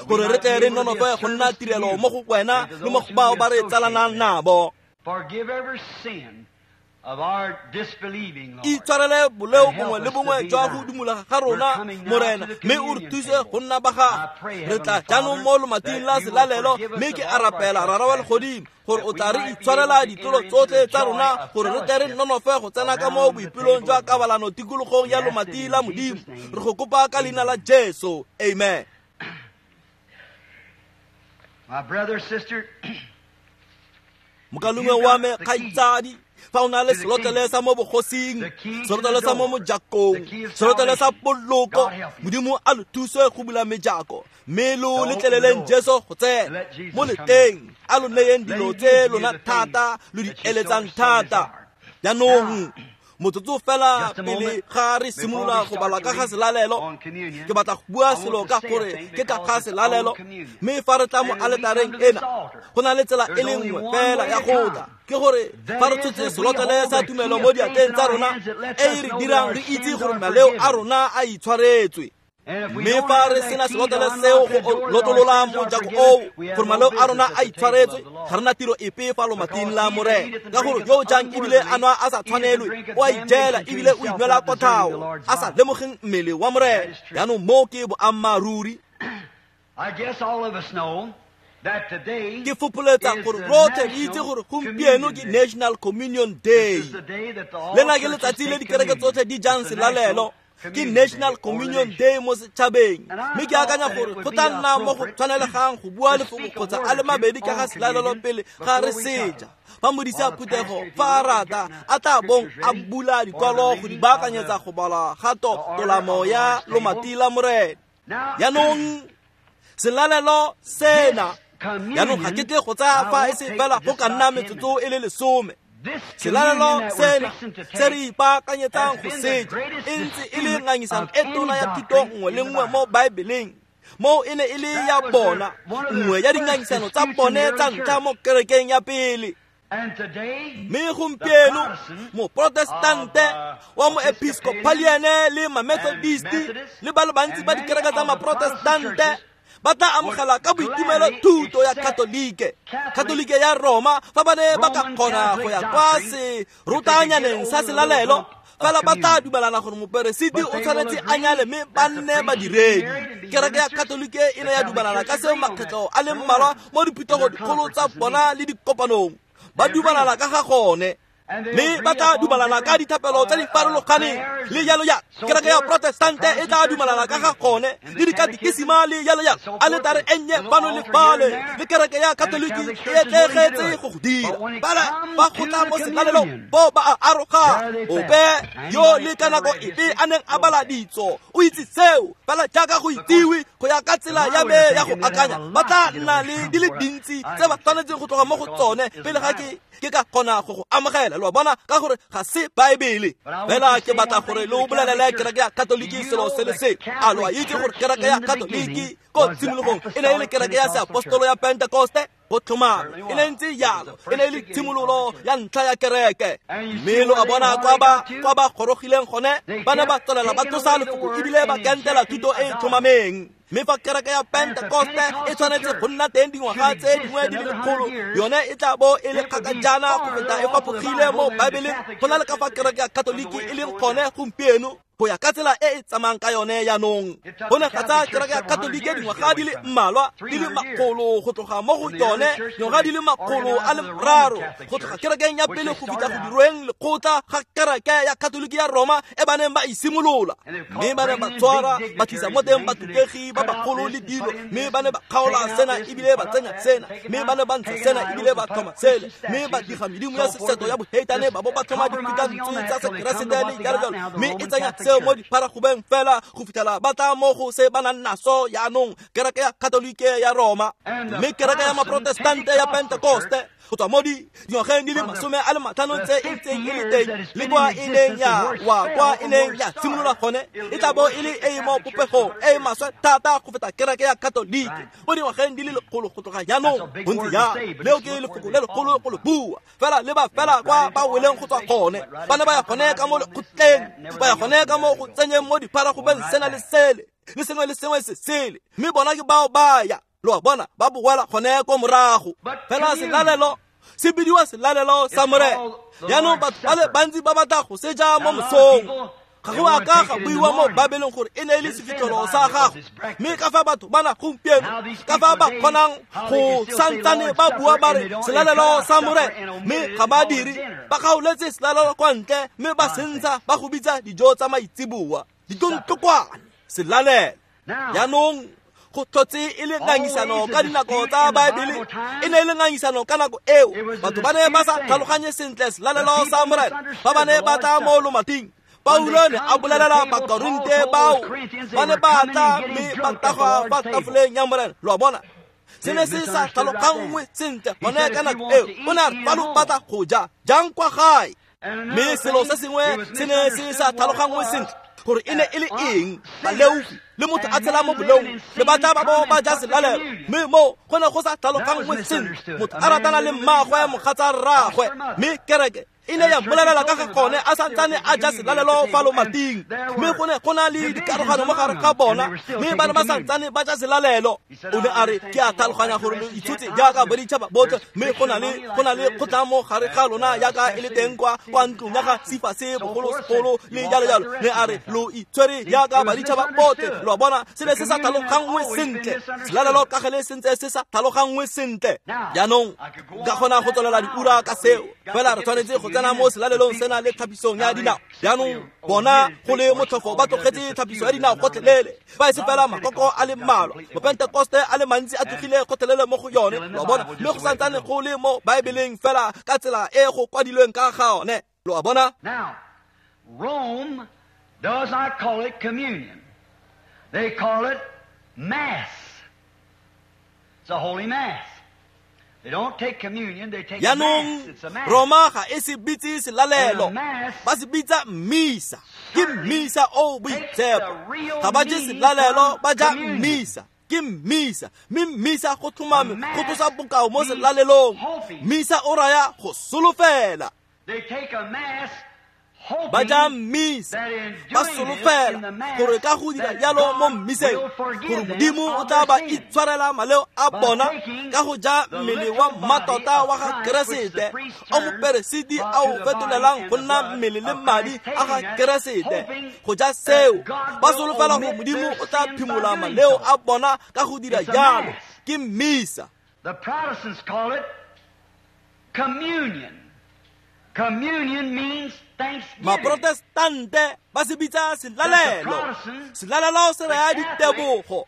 gore re tle re nonofe go nna tirelo mo go wena le mo go bao ba re tsalanang nabo. Itshwarele boleo bongwe le bongwe jwa go dumologa ga rona, Morena, mme o re thuse go nna ba gago. Re tla jaanong mo lomating la selalelo, mme ke a rapela Rara wa legodimo gore o tla re itshwarela ditlolo tsotlhe tsa rona, gore re tle re nonofe go tsena ka mo boipelong jwa kabalano tikologong ya lomati la Modimo. Re go kopa ka leina la Jesu, amen. My brother, sister, mokalengwe wa me kgaitsadi, fa o na le selotlele sa mo bogosing, selotlele sa mo mojakong, selotlele sa poloko, Modimo a lo thuse go bula mejako, mme lo letleleleng Jesu go tsena mo leteng, a lo neyeng dilo tse lona thata lo di eletsang thata. Jaanong motsotso fela pele ga re simolola go bala ka ga selalelo, ke batla go bua selo ka gore ke ka ga selalelo. Mme fa re tla mo aletareng ena, go na le tsela e le nngwe fela ya go tla, ke gore fa re tshotse selotlele sa tumelo mo diatleng tsa rona, e e re dirang re itse gore maleo a rona a itshwaretswe. Mme fa re sena selotlele seo go lotolola mojako oo gore maleo a rona a itshwaretswe, ga rena tiro epe fa lomating la Morena, ka gore yo o jang ebile a nwa a sa tshwanelwe, o a ijela ebile o inwela kotlhao, a sa lemogeng mmele wa Morena. Jaanong moo ke boammaaruri. Ke fopholetsa gore rotlhe re itse gore gompieno ke National Communion Day. Lena ke letsatsi le dikereke tsotlhe di jang selalelo, ke National Communion Day mo setšhabeng. Mme ke akanya gore go tla nna mo go tshwanelegang go bua lefoko kgotsa a le mabedi ka ga selalelo pele ga re seja. Fa modisi a phuthego fa a rata a tla bong a bula dikwalo go di baakanyetsa go bala ga tolamo ya lomati la Morena. Jaanong selalelo sena, jaanong ga ke tle go tsaya fa e se fela go ka nna metsotso e le 10. Selalelo sena se re ipaakanyetsang go seja e ntse e le ngangisano e tona ya thuto nngwe le nngwe mo Baebeleng. Moo e ne e le ya bona, nngwe ya dingangisano tsa bone tsa ntlha mo kerekeng ya pele. Mme gompieno moprotestante wa moepiskopaliane le mamethodist le ba le bantsi ba dikereke tsa maprotestante ba tla amogela ka boitumelo thuto ya Katolike, Katolike ya Roma, fa ba ne ba ka kgona go ya kwa serutanyaneng sa selalelo. Fela ba tla dumelana gore moperesiti o tshwanetse a nyale mme ba nne badiredi. Kereke ya Katolike e ne ya dumelana ka seo makgetlho a le mmalwa mo diphuthego dikgolo tsa bona le dikopanong. Ba dumelana ka ga gone, mme ba tla dumelana ka dithapelo tse di farologaneng le jalo jalo. Kereke ya Protestante e tla dumelana ka ga gone le dikatekisima le jalo jalo. Aletare e nnye fano le fale, le kereke ya Katoliki e etlegetse go go dira. Fela ba go tla mo selalelong bo ba a aroga. Ope yo le ka nako epe a neng a bala ditso o itse seo, fela jaaka go itsiwe go ya ka tsela ya me ya go akanya, ba tla nna le di le dintsi tse ba tshwanetseng go tloga mo go tsone pele ga ke ka kgona go go amogela. Lo a bona, ka gore ga se Baebele. Fela ke batla gore lo bolelele kereke ya Katoliki selo se le se. A lo a itse gore kereke ya Katoliki ko tshimologong e ne e le kereke ya seapostolo ya Pentekoste? Go tlhomame e ne ntse jalo, e ne e le tshimololo ya ntlha ya kereke. Mme lo a bona kwa ba gorogileng gone, ba ne ba tswelela ba tlosa lefoko ebile ba kentela thuto e e tlhomameng. Mme fa kereke ya Pentekoste e tshwanetse go nna teng dingwaga tse dingwe di le lekgolo, yone e tla bo e le kgakajana go feta e fapogile mo Baebeleng go na le ka fa kereke ya Katoliki e leng gone gompieno go ya ka tsela e e tsamayang ka yone jaanong. Go ne ga tsaya kereke ya Katolike dingwaga di le mmalwa di le makgolo go tloga mo go yone, dingwaga di le 300 go tloga kerekeng ya pele go fitlha go dirweng lekgotla ga kereke ya Katoliki ya Roma e ba neng ba e simolola. Mme ba ne ba tshwara ba tlisa mo teng batutegi ba bagolo le dilo, mme ba ne ba kgaola sena ebile ba tsenya sena, mme ba ne ba ntsha sena ebile ba tlhoma sele, mme ba diga medimo ya seseto ya boheitane ba bo ba tlhoma difikantswe tsa sekeresete le jalo jalo, mme e tsenya seo mo dipharagobeng fela go fitlhela ba tla mo go se ba nang naso jaanong, kereke ya Katolike ya Roma. Mme kereke ya maprotestante ya Pentekoste go tswa mo dingwageng di le 50 tse e ntseng e le teng le kwa e neng ya wa kwa e neng ya simolola gone, e tla bo e le e e mo popegong e e maswe thata go feta kereke ya Katolike mo dingwageng di le 100 go tloga jaanong. Bontsi jang leo ke lefoko le legolo go le bua, fela le ba fela kwa ba weleng go tswa gone. Ba ne ba ya gone ka mo lekgotleng, ba ya gone ka mo go tsenyeng mo dipharagobeng sena le sele le sengwe le sengwe se sele, mme bona ke bao ba ya. Lo a bona, ba boela gone ko morago. Fela selalelo Se bidiwa selalelo sa Morena. Jaanong batho ba le bantsi ba batla go se ja mo mosong. Ga go a ka ga buiwa mo Baebeleng gore e ne e le sefitlholo sa gagwe. Mme ka fa batho ba na gompieno, ka fa ba kgonang go santsane ba bua ba re selalelo sa Morena, mme ga ba dire, ba kgaoletse selalelo kwa ntle mme ba sentsha ba go bitsa dijo tsa maitseboa. Ditontlokwane, selalelo. Jaanong go tlhotse e le ngangisano ka dinako tsa Baebele, e ne e le ngangisano ka nako eo. Batho ba ne ba sa tlhaloganye sentle selalelo sa Morena, ba ba ne ba tla mo lomating. Paulo ne a bolelela Bakorinte bao ba ne ba tla mme ba tagwa fa tafoleng ya Morena. Lo a bona, se ne se sa tlhaloganngwe sentle gone ka nako eo. O ne a re fa lo batla go ja jang kwa gae. Mme selo se sengwe se ne se sa tlhaloganngwe sentle gore e ne e le eng. Baleofi le motho a tshela mo boleong le batla ba bo ba ja selalelo, mme mo go ne go sa tlhaloganngwe sentle. Motho a ratana le mmaagwe mogatsa rraagwe, mme kereke e ne ya mmolelela ka ga gone a santsane a ja selalelo fa lomating. Mme go ne go na le dikarogano mo gare ga bona, mme ba ne ba santsane ba ja selalelo. O ne a re ke a tlhaloganya gore lo itshotse jaaka boditšhaba botlhe, mme go na le kgotlang mo gare ga lona jaaka e le teng kwa ntlong ya ga Sifase bogolosegolo le jalo jalo. Ne a re lo itshwere jaaka baditšhaba botlhe. Lo a bona, se ne se sa tlhaloganngwe sentle. Selalelo ka gale sentse se sa tlhaloganngwe sentle. Jaanong ka kgona go tswelela diura ka seo, fela re tshwanetse go tsena mo selalelong sena le tlhapisong ya dinao. Jaanong bona go le motlhofo ba tlogetse tlhapiso ya dinao gotlhelele, fa e se fela makoko a le mmalwa. Mopentekoste a le mantsi a tlogile gotlhelele mo go yone. Lo a bona, mme go santsane go le mo Baebeleng fela ka tsela e go kwadilweng ka ga one. Lo a bona. Now, Rome does not call it communion. They call it mass. It's a holy mass. They don't take communion, they take a mass. It's a mass. Roma ga e se bitse selalelo, ba se bitsa mmisa. Ke mmisa o boitshepo. Ga ba je selalelo, ba ja mmisa. Ke mmisa, mme mmisa go tlhomame go tlosa bokao mo selalelong. Mmisa o raya go solofela. They take a mass Ba ja mmisa, ba solofela gore ka go dira jalo mo mmiseng gore Modimo o tla ba itshwarela maleo a bona ka go ja mmele wa mmatota wa ga Keresete o moperesiti a o fetolelang go nna mmele le madi a ga Keresete. Go ja seo ba solofela gore Modimo o tla phimola maleo a bona ka go dira jalo. Ke mmisa. The Protestants call it communion. Communion means thanksgiving. Maprotestante ba se bitsa selalelo. Selalelo se raya ditebogo.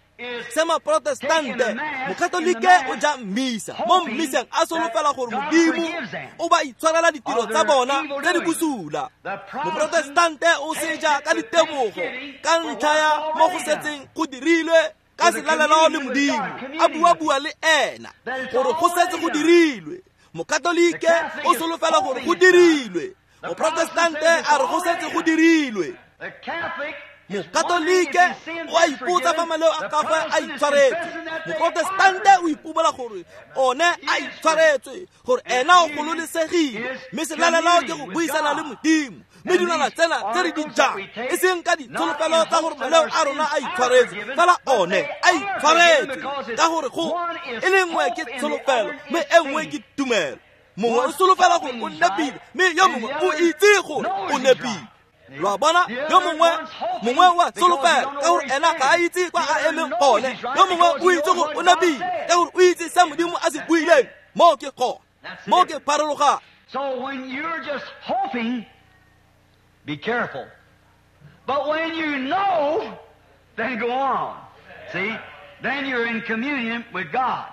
Se maprotestante, mokatolike o ja mmisa. Mo mmiseng a solofela gore Modimo o ba itshwarela ditiro tsa bona tse di bosula. Moprotestante o se ja ka ditebogo ka ntlha ya mo go setseng go dirilwe ka selalelo le Modimo, a bua-bua le ena gore go setse go dirilwe. Mokatolike o solofela gore go dirilwe. Moprotestante a re go setse go dirilwe. Mokatolike o a ipotsa fa maleo a gagwe a itshwaretswe. Moprotestante o ipobola gore one a itshwaretswe, gore ena o gololesegile. Mme selalelo ke go buisana le Modimo. Mme dilwana tsena tse re di jang e seng ka ditsholofelo tsa gore maleo a rona a itshwaretswe, fela one a itshwaretswe ka gore go e le nngwe ke tsholofelo mme e nngwe ke tumelo. Mongwe o solofela gore o nepile, mme yo mongwe o itse gore o nepile. Lo a bona, yo mongwe wa solofela ka gore ena ga a itse kwa a emeng gone. Yo mongwe o itse gore o nepile ka gore o itse se Modimo a se buileng. Mo ke gone, mo ke pharologano. So when you're just hoping, be careful. But when you know, then go on. See? Then you're in communion with God.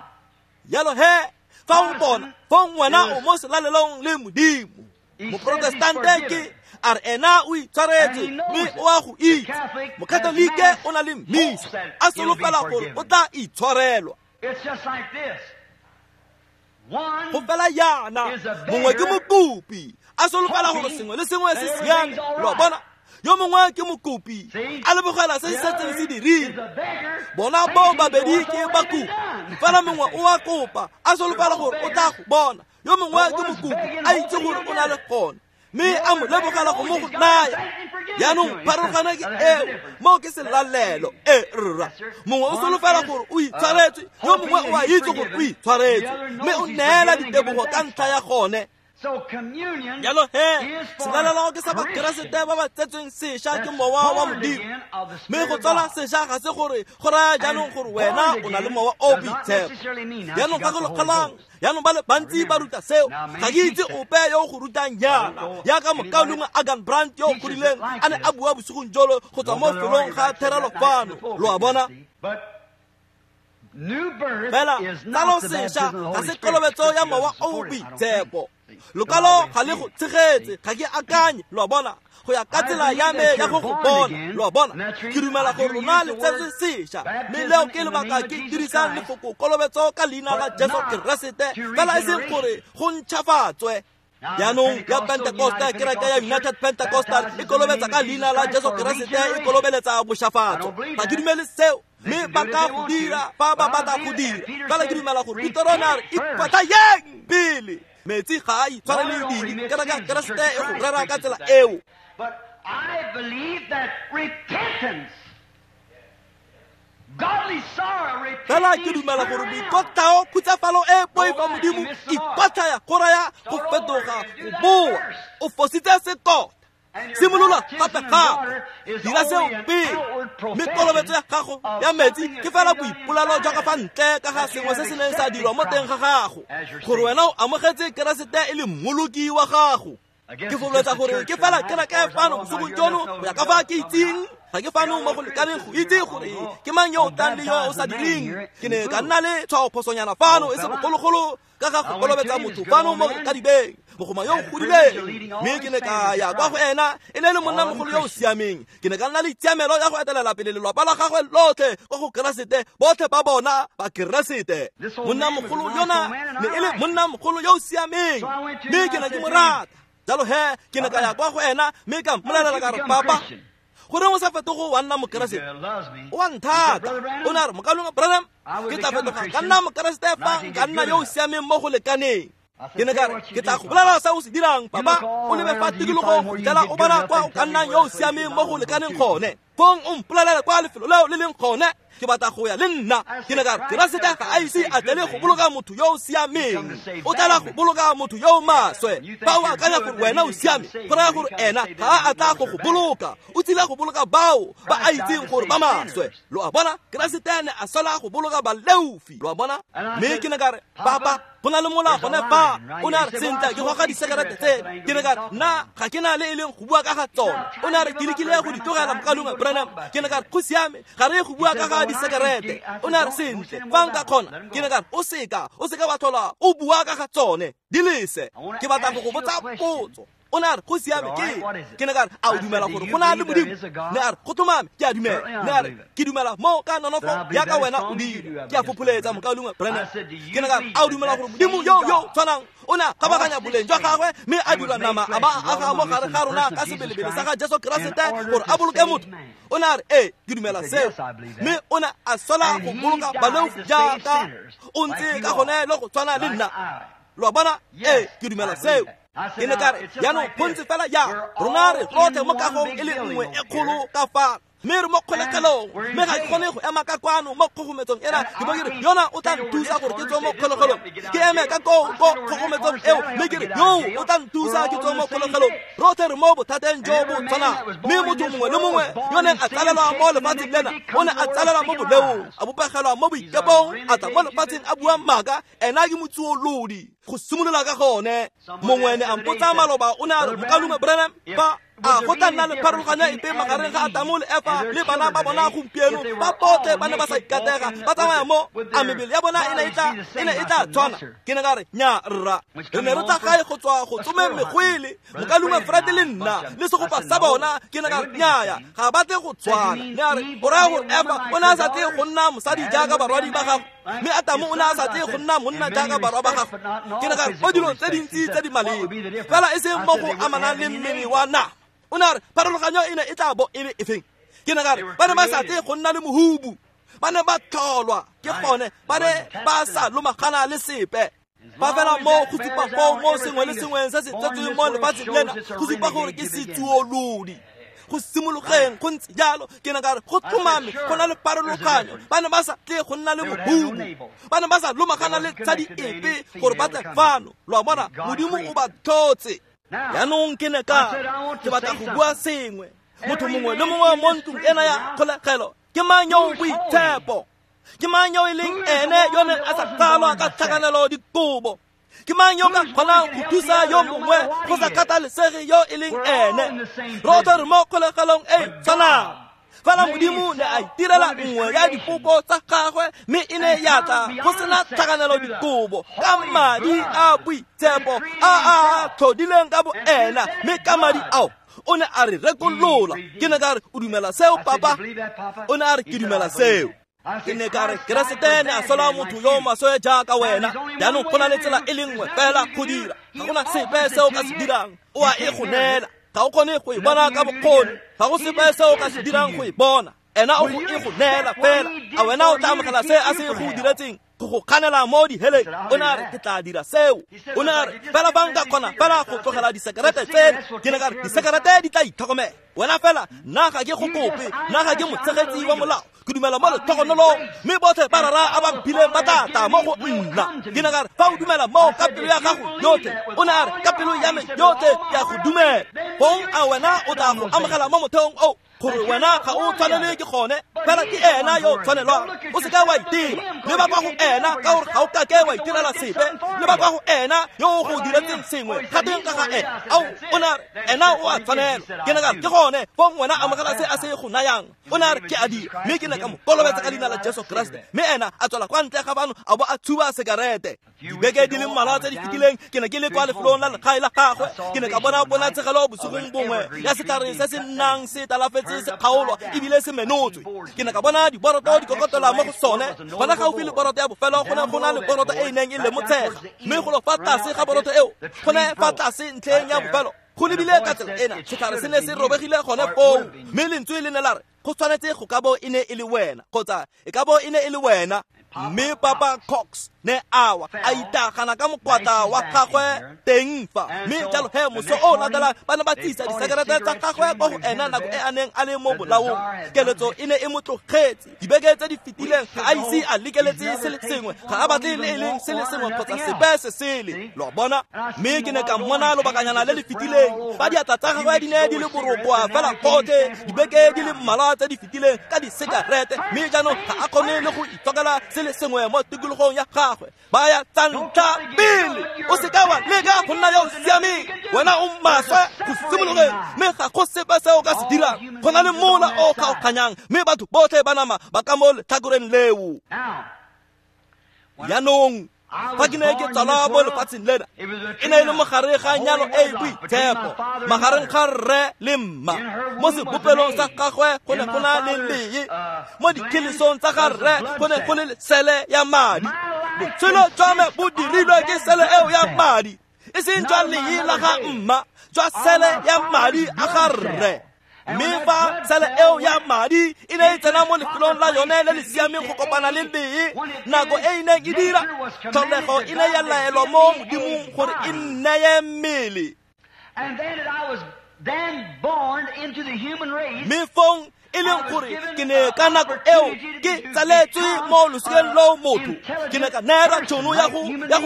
Yalo he, fa o bona, fa ngwana o mo selalelong le Modimo. Moprotestante ke a re ena o itshwaretswe mme o a go itse. Mokatolike o na le mmisa, a solofela gore o tla itshwarelwa. It's just like this. Go fela yana, mongwe ke mokopi a solofela gore sengwe le sengwe se siame. Lo a bona, yo mongwe ke mokopi a lebogela se se setseng se dirile. Bona bao babedi ke bakopi, fela mongwe o a kopa a solofela gore o tla go bona. Yo mongwe ke mokopi a itse gore o na le gone, Mme a mo lebogela go mo go naya. Jaanong pharologano ke eo, moo ke selalelo. E rra, mongwe o solofela gore o itshwaretswe, yo mongwe o a itse gore o itshwaretswe, mme o neela ditebogo ka ntlha ya gone. Jalo he, selalelo ke sa Bakeresete ba ba tsetsweng sešwa ke mowa wa Modimo. Mme go tsala sešwa ga se gore go raya jaanong gore wena o na le mowa o boitshepo. Jaanong gakologelwang, jaanong ba le bantsi ba ruta seo. Ga ke itse ope yo o go rutang jaana, jaaka mokaulengwe Agan Brandt yo o godileng a ne a bua bosigong jolo go tswa mo felong ga therelo fano. Lo a bona? Fela tsalo sešwa ga se kolobetso ya mowa o boitshepo. Lokwalo ga le go tshegetse, ga ke akanye, lo a bona, go ya ka tsela ya me ya go go bona, lo a bona. Ke dumela gore lona le tsetswe sešwa, mme leo ke lebaka ke dirisang lefoko kolobetso ka leina la Jesu Keresete, fela e seng gore go ntšhafatswe. Jaanong ya Pentecoste, kereke ya United Pentecostal e kolobetsa ka leina la Jesu Keresete, e kolobeletsa bošafatso. Ga ke dumele seo, mme ba ka go dira fa ba batla go dira. Fela ke dumela gore Petero ne a re ikwatlhayeng pele. Metsi ga a itshwarele dibe, kereke ya Keresete e go rera ka tsela eo. But I believe that repentance, godly sorrow, Fela ke dumela gore boikotlhao, khutsafalo e poifa Modimo, ikwatlhaya go raya go fetoga, go boa. O fositse setota. Simolola gape gape, dira seo pele. Mme kolobetso ya gago ya metsi ke fela boipolelo jwa ka fa ntle ka ga sengwe se se neng sa dirwa mo teng ga gago, gore wena o amogetse Keresete e le mmoloki wa gago. Ke fololetsa gore ke fela kereke fano bosigong jono go ya ka fa ke itseng. Ga ke fano mo go lekaneng go itse gore ke mang yo o tlang le yo o sa direng. Ke ne ka nna le tshwaophosonyana fano e se bogologolo ka ga go kolobetsa motho fano mo kadibeng, mogoma yo o godileng. Mme ke ne ka ya kwa go ena, e ne e le monnamogolo yo o siameng. Ke ne ka nna le tshiamelo ya go etelela pele lelapa la gagwe lotlhe kwa go Keresete, botlhe ba bona ba Keresete. Monnamogolo yona ne e le monnamogolo yo o siameng, mme ke ne ke mo rata. Jalo he, ke ne ka ya kwa go ena mme ka mmolelela ka re, papa, goreng o sa fetogo wa nna Mokeresete? O a nthata. O ne a re, mokaulengwe Branham, ke tla fetoga ka nna Mokeresete fa nka nna yo o siameng mo go lekaneng. Ke ne ka re, ke tla go bolela se o se dirang, papa. O lebe fa tikologong go fitlhela o bona kwa o ka nnang yo o siameng mo go lekaneng gone. Fong o mpolelele kwa lefelo leo le leng gone. Ke batla go ya le nna. Ke ne ka re, Keresete ga a ise a tlele go boloka motho yo o siameng, o tlela go boloka motho yo o maswe. Fa o akanya gore wena o siame, go raya gore ena ga a tla go go boloka, o tsile go boloka bao ba a itseng gore ba maswe. Lo a bona? Keresete ne a sola go boloka baleofi. Lo a bona? Mme ke ne ka re, papa, go na le mola gone fa. O ne a re, sentle, ke goga disekerete tse. Ke ne ka re, nna ga ke na le e leng go bua ka ga tsone. O ne a re, ke lekile go di tlogela, mokaulengwe Branham. Ke ne ka re, go siame, ga re go bua ka ga disekerete. O ne a re, sentle, fa nka kgona. Ke ne ka re, o seka wa tlhola o bua ka ga tsone, di lese. Ke batla go go botsa potso. O ne a re, go siame, ke ne ka re, a o dumela gore go na le Modimo? Ne a re, go tlhomame, ke a dumela. Ne a re, ke dumela mo ka nonofo jaaka wena o dira. Ke a fopholetsa, mokaulengwe Branham. Ke ne ka re, a o dumela gore Modimo yo yo tshwanang o ne a kgabaganya boleng jwa gagwe mme a dira nama a ba a aga mo gare ga rona ka sebelebele sa ga Jesu Keresete gore a boloke motho? O ne a re, ee, ke dumela seo. Mme o ne a sola go boloka baleofi jaaka o ntse ka gone le go tshwana le nna. Lo a bona? Ee, ke dumela seo. Ke ne ka re, jaanong go ntse fela jang, rona re rotlhe mo kagong e le nngwe e kgolo ka fa, mme re mo kgolegelong, mme ga ke kgone go ema ka kwano mo kgogometsong ena. Ke bo ke re, yona o tla nthusa gore ke tswe mo kgolegelong. Ke eme ka koo ko kgogometsong eo, mme ke re, yo o tla nthusa ke tswe mo kgolegelong. Rotlhe re mo bothateng jo bo tshwanang. Mme motho mongwe le mongwe yo neng a tsalelwa mo lefatsheng lena, o ne a tsalelwa mo boleong, a bopegelwa mo boikepong, a tla mo lefatsheng a bua maaka. Ena ke motsuolodi go simolola ka gone. Mongwe ne a mpotsa maloba, o ne a re, mokaulengwe Branham, fa a go tla nna le pharologanyo epe magareng ga Adamo le Efa le bana ba bona gompieno, ba botlhe ba ne ba sa ikatega, ba tsamaya mo, a mebele ya bona e ne e tla tshwana? Ke ne ka re, nya rra, re ne re tla gae go tswa go tsomeng megwele, mokaulengwe Fred le nna le segopa sa bona. Ke ne ka re, nyaya, ga ba tle go tshwana. Ne a re, o raya gore Efa o ne a sa tle go nna mosadi jaaka barwadi ba gagwe, mme Adamo o ne a sa tle go nna monna jaaka barwa ba gagwe? Ke ne ka re, mo dilong tse dintsi tse di maleba, fela e seng mo go amanang le mmele wa nama. O ne a re, pharologanyo e ne e tla bo e le efeng? Ke ne ka re, ba ne ba sa tle go nna le mohubu, ba ne ba tlholwa ke gone, ba ne ba sa lomagana le sepe. Fa fela mo go supa foo mo sengwe le sengwe se se tsetsweng mo lefatsheng lena go supa gore ke setsuolodi. Go simologeng go ntse jalo. Ke ne ka re go tlhomame go na le pharologanyo. Ba ne ba sa tle go nna le mohumo, ba ne ba sa lomagana le tshadi epe gore ba tle fano. Lo a bona, Modimo o ba tlhotse. Jaanong ke ne ka ke batla go bua sengwe. Motho mongwe le mongwe mo ntlong ena ya kgolegelo ke mang yo o boitshepo? Ke mang yo e leng ene yo neng a sa tsalwa ka tlhakanelo dikobo? Ke mang yo ka kgonang go thusa yo mongwe go sa kgathalesege yo e leng ene? Rotlhe re mo kgolegelong e e tshwanang. Fela Modimo ne a itirela nngwe ya dipopo tsa gagwe, mme e ne ya tla go sena tlhakanelo dikobo ka madi a boitshepo a a tlhodileng ka boena, mme ka madi ao o ne a re rekolola. Ke ne ka re, o dumela seo, papa? O ne a re, ke dumela seo. Ke ne ka re, Keresete ne a sola motho yo maswe jaaka wena. Jaanong go na le tsela e le nngwe fela go dira. Ga gona sepe se o ka se dirang, o a e go neela. Ga o kgone go e bona ka bokgoni, ga go sepe se o ka se dirang go e bona. Ena o go e go neela fela. A wena o tla amogela se a se go diretseng go go kganela mo diheleng? O ne a re, ke tla dira seo. O ne a re, fela fa nka kgona fela go tlogela disekerete tseno. Ke ne ka re, disekerete di tla itlhokomela wena fela. Nna ga ke go kope, nna ga ke motshegetsi wa molao. Ke dumela mo letlhogonolong, mme botlhe ba rara a ba mphileng ba tla tla mo go nna. Ke ne ka re, fa o dumela mo ka pelo ya gago yotlhe. O ne a re, ka pelo ya me yotlhe ke a go dumela. Fong a wena o tla go amogela mo motheong o gore wena ga o tshwanelwe ke gone, fela ke ena yo o tshwanelwang. O seka wa itira, le ba kwa go ena, ka gore ga o kake wa itirela sepe. Le ba kwa go ena yo o go diretseng sengwe, ga teng ka ga ena. Ao, o ne a re, ena o a tshwanelwa. Ke ne ka re, ke gone fong wena amogela se a se go nayang. O ne a re, ke a dira. Mme ke ne ka mo kolobetsa ka leina la Jesu Kriste. Mme ena a tswela kwa ntle ga bano a bo a tshuba sekarete. Dibeke di le mmalwa tse di fetileng ke ne ke le kwa lefelong la legae la gagwe. Ke ne ka bona ponatshegelo bosigong bongwe ya setlhare se se nnang se talafetse se kgaolwa ebile se menotswe. Ke ne ka bona diboroto di kokotela mo go sone. Gona gaufi le boroto ya bofelo go ne go na le boroto e e neng e lemotshega, mme golo fa tlase ga boroto eo go ne fa tlase ntlheng ya bofelo go lebile ka tsela ena setlhare se ne se robegile gone foo. Mme lentswe le ne la re, go tshwanetse go ka bo e ne e le wena, kgotsa e ka bo e ne e le wena. Mme Papa Cox ne awa a itagana ka mokwatla wa gagwe teng fa. Mme jalo he moso o latelang ba ne ba tsisa disekerete tsa gagwe kwa go ena nako e a neng a le mo bolaong. Keletso e ne e mo tlogetse. Dibeke tse di fetileng ga a ise a lekeletse se le sengwe, ga a batle le e leng se le sengwe kgotsa sepe se sele. Lo bona? Mme ke ne ka mmona lobakanyana le le fetileng fa diatla tsa gagwe di ne di le borokwa fela gotlhe dibeke di le mmalwa tse di fetileng ka disekerete, mme jaanong ga a kgone le go itsokela se le sengwe mo tikologong ya gagwe. Ba ya tsa ntlha pele. O seka wa leka go nna yo o siameng, wena o maswe go simologeng, mme ga go sepe se o ka se dirang. Go na le mola o kgaoganyang, mme batho botlhe ba nama ba ka mo letlhakoreng leo. Jaanong fa ke ne ke tsalwa mo lefatsheng lena, e ne e le mogare ga nyalo e e boitshepo magareng ga rre le mma. Mo sebopelong sa gagwe go ne go na le lee, mo dikhelesong tsa ga rre go ne go le sele ya madi. Botshelo jwa me bo dirilwe ke sele eo ya madi, e seng jwa lee la ga mma, jwa sele ya madi a ga rre. Mme fa sele eo ya madi e ne e tsena mo lefelong la yone le le siameng go kopana le lee, nako e e neng e dira, tlholego e ne ya laelwa mo Modimong gore e nneye mmele. Mme fong e leng gore ke ne ka nako eo ke tsaletswe mo losikeng loo motho, ke ne ka neelwa tšhono ya go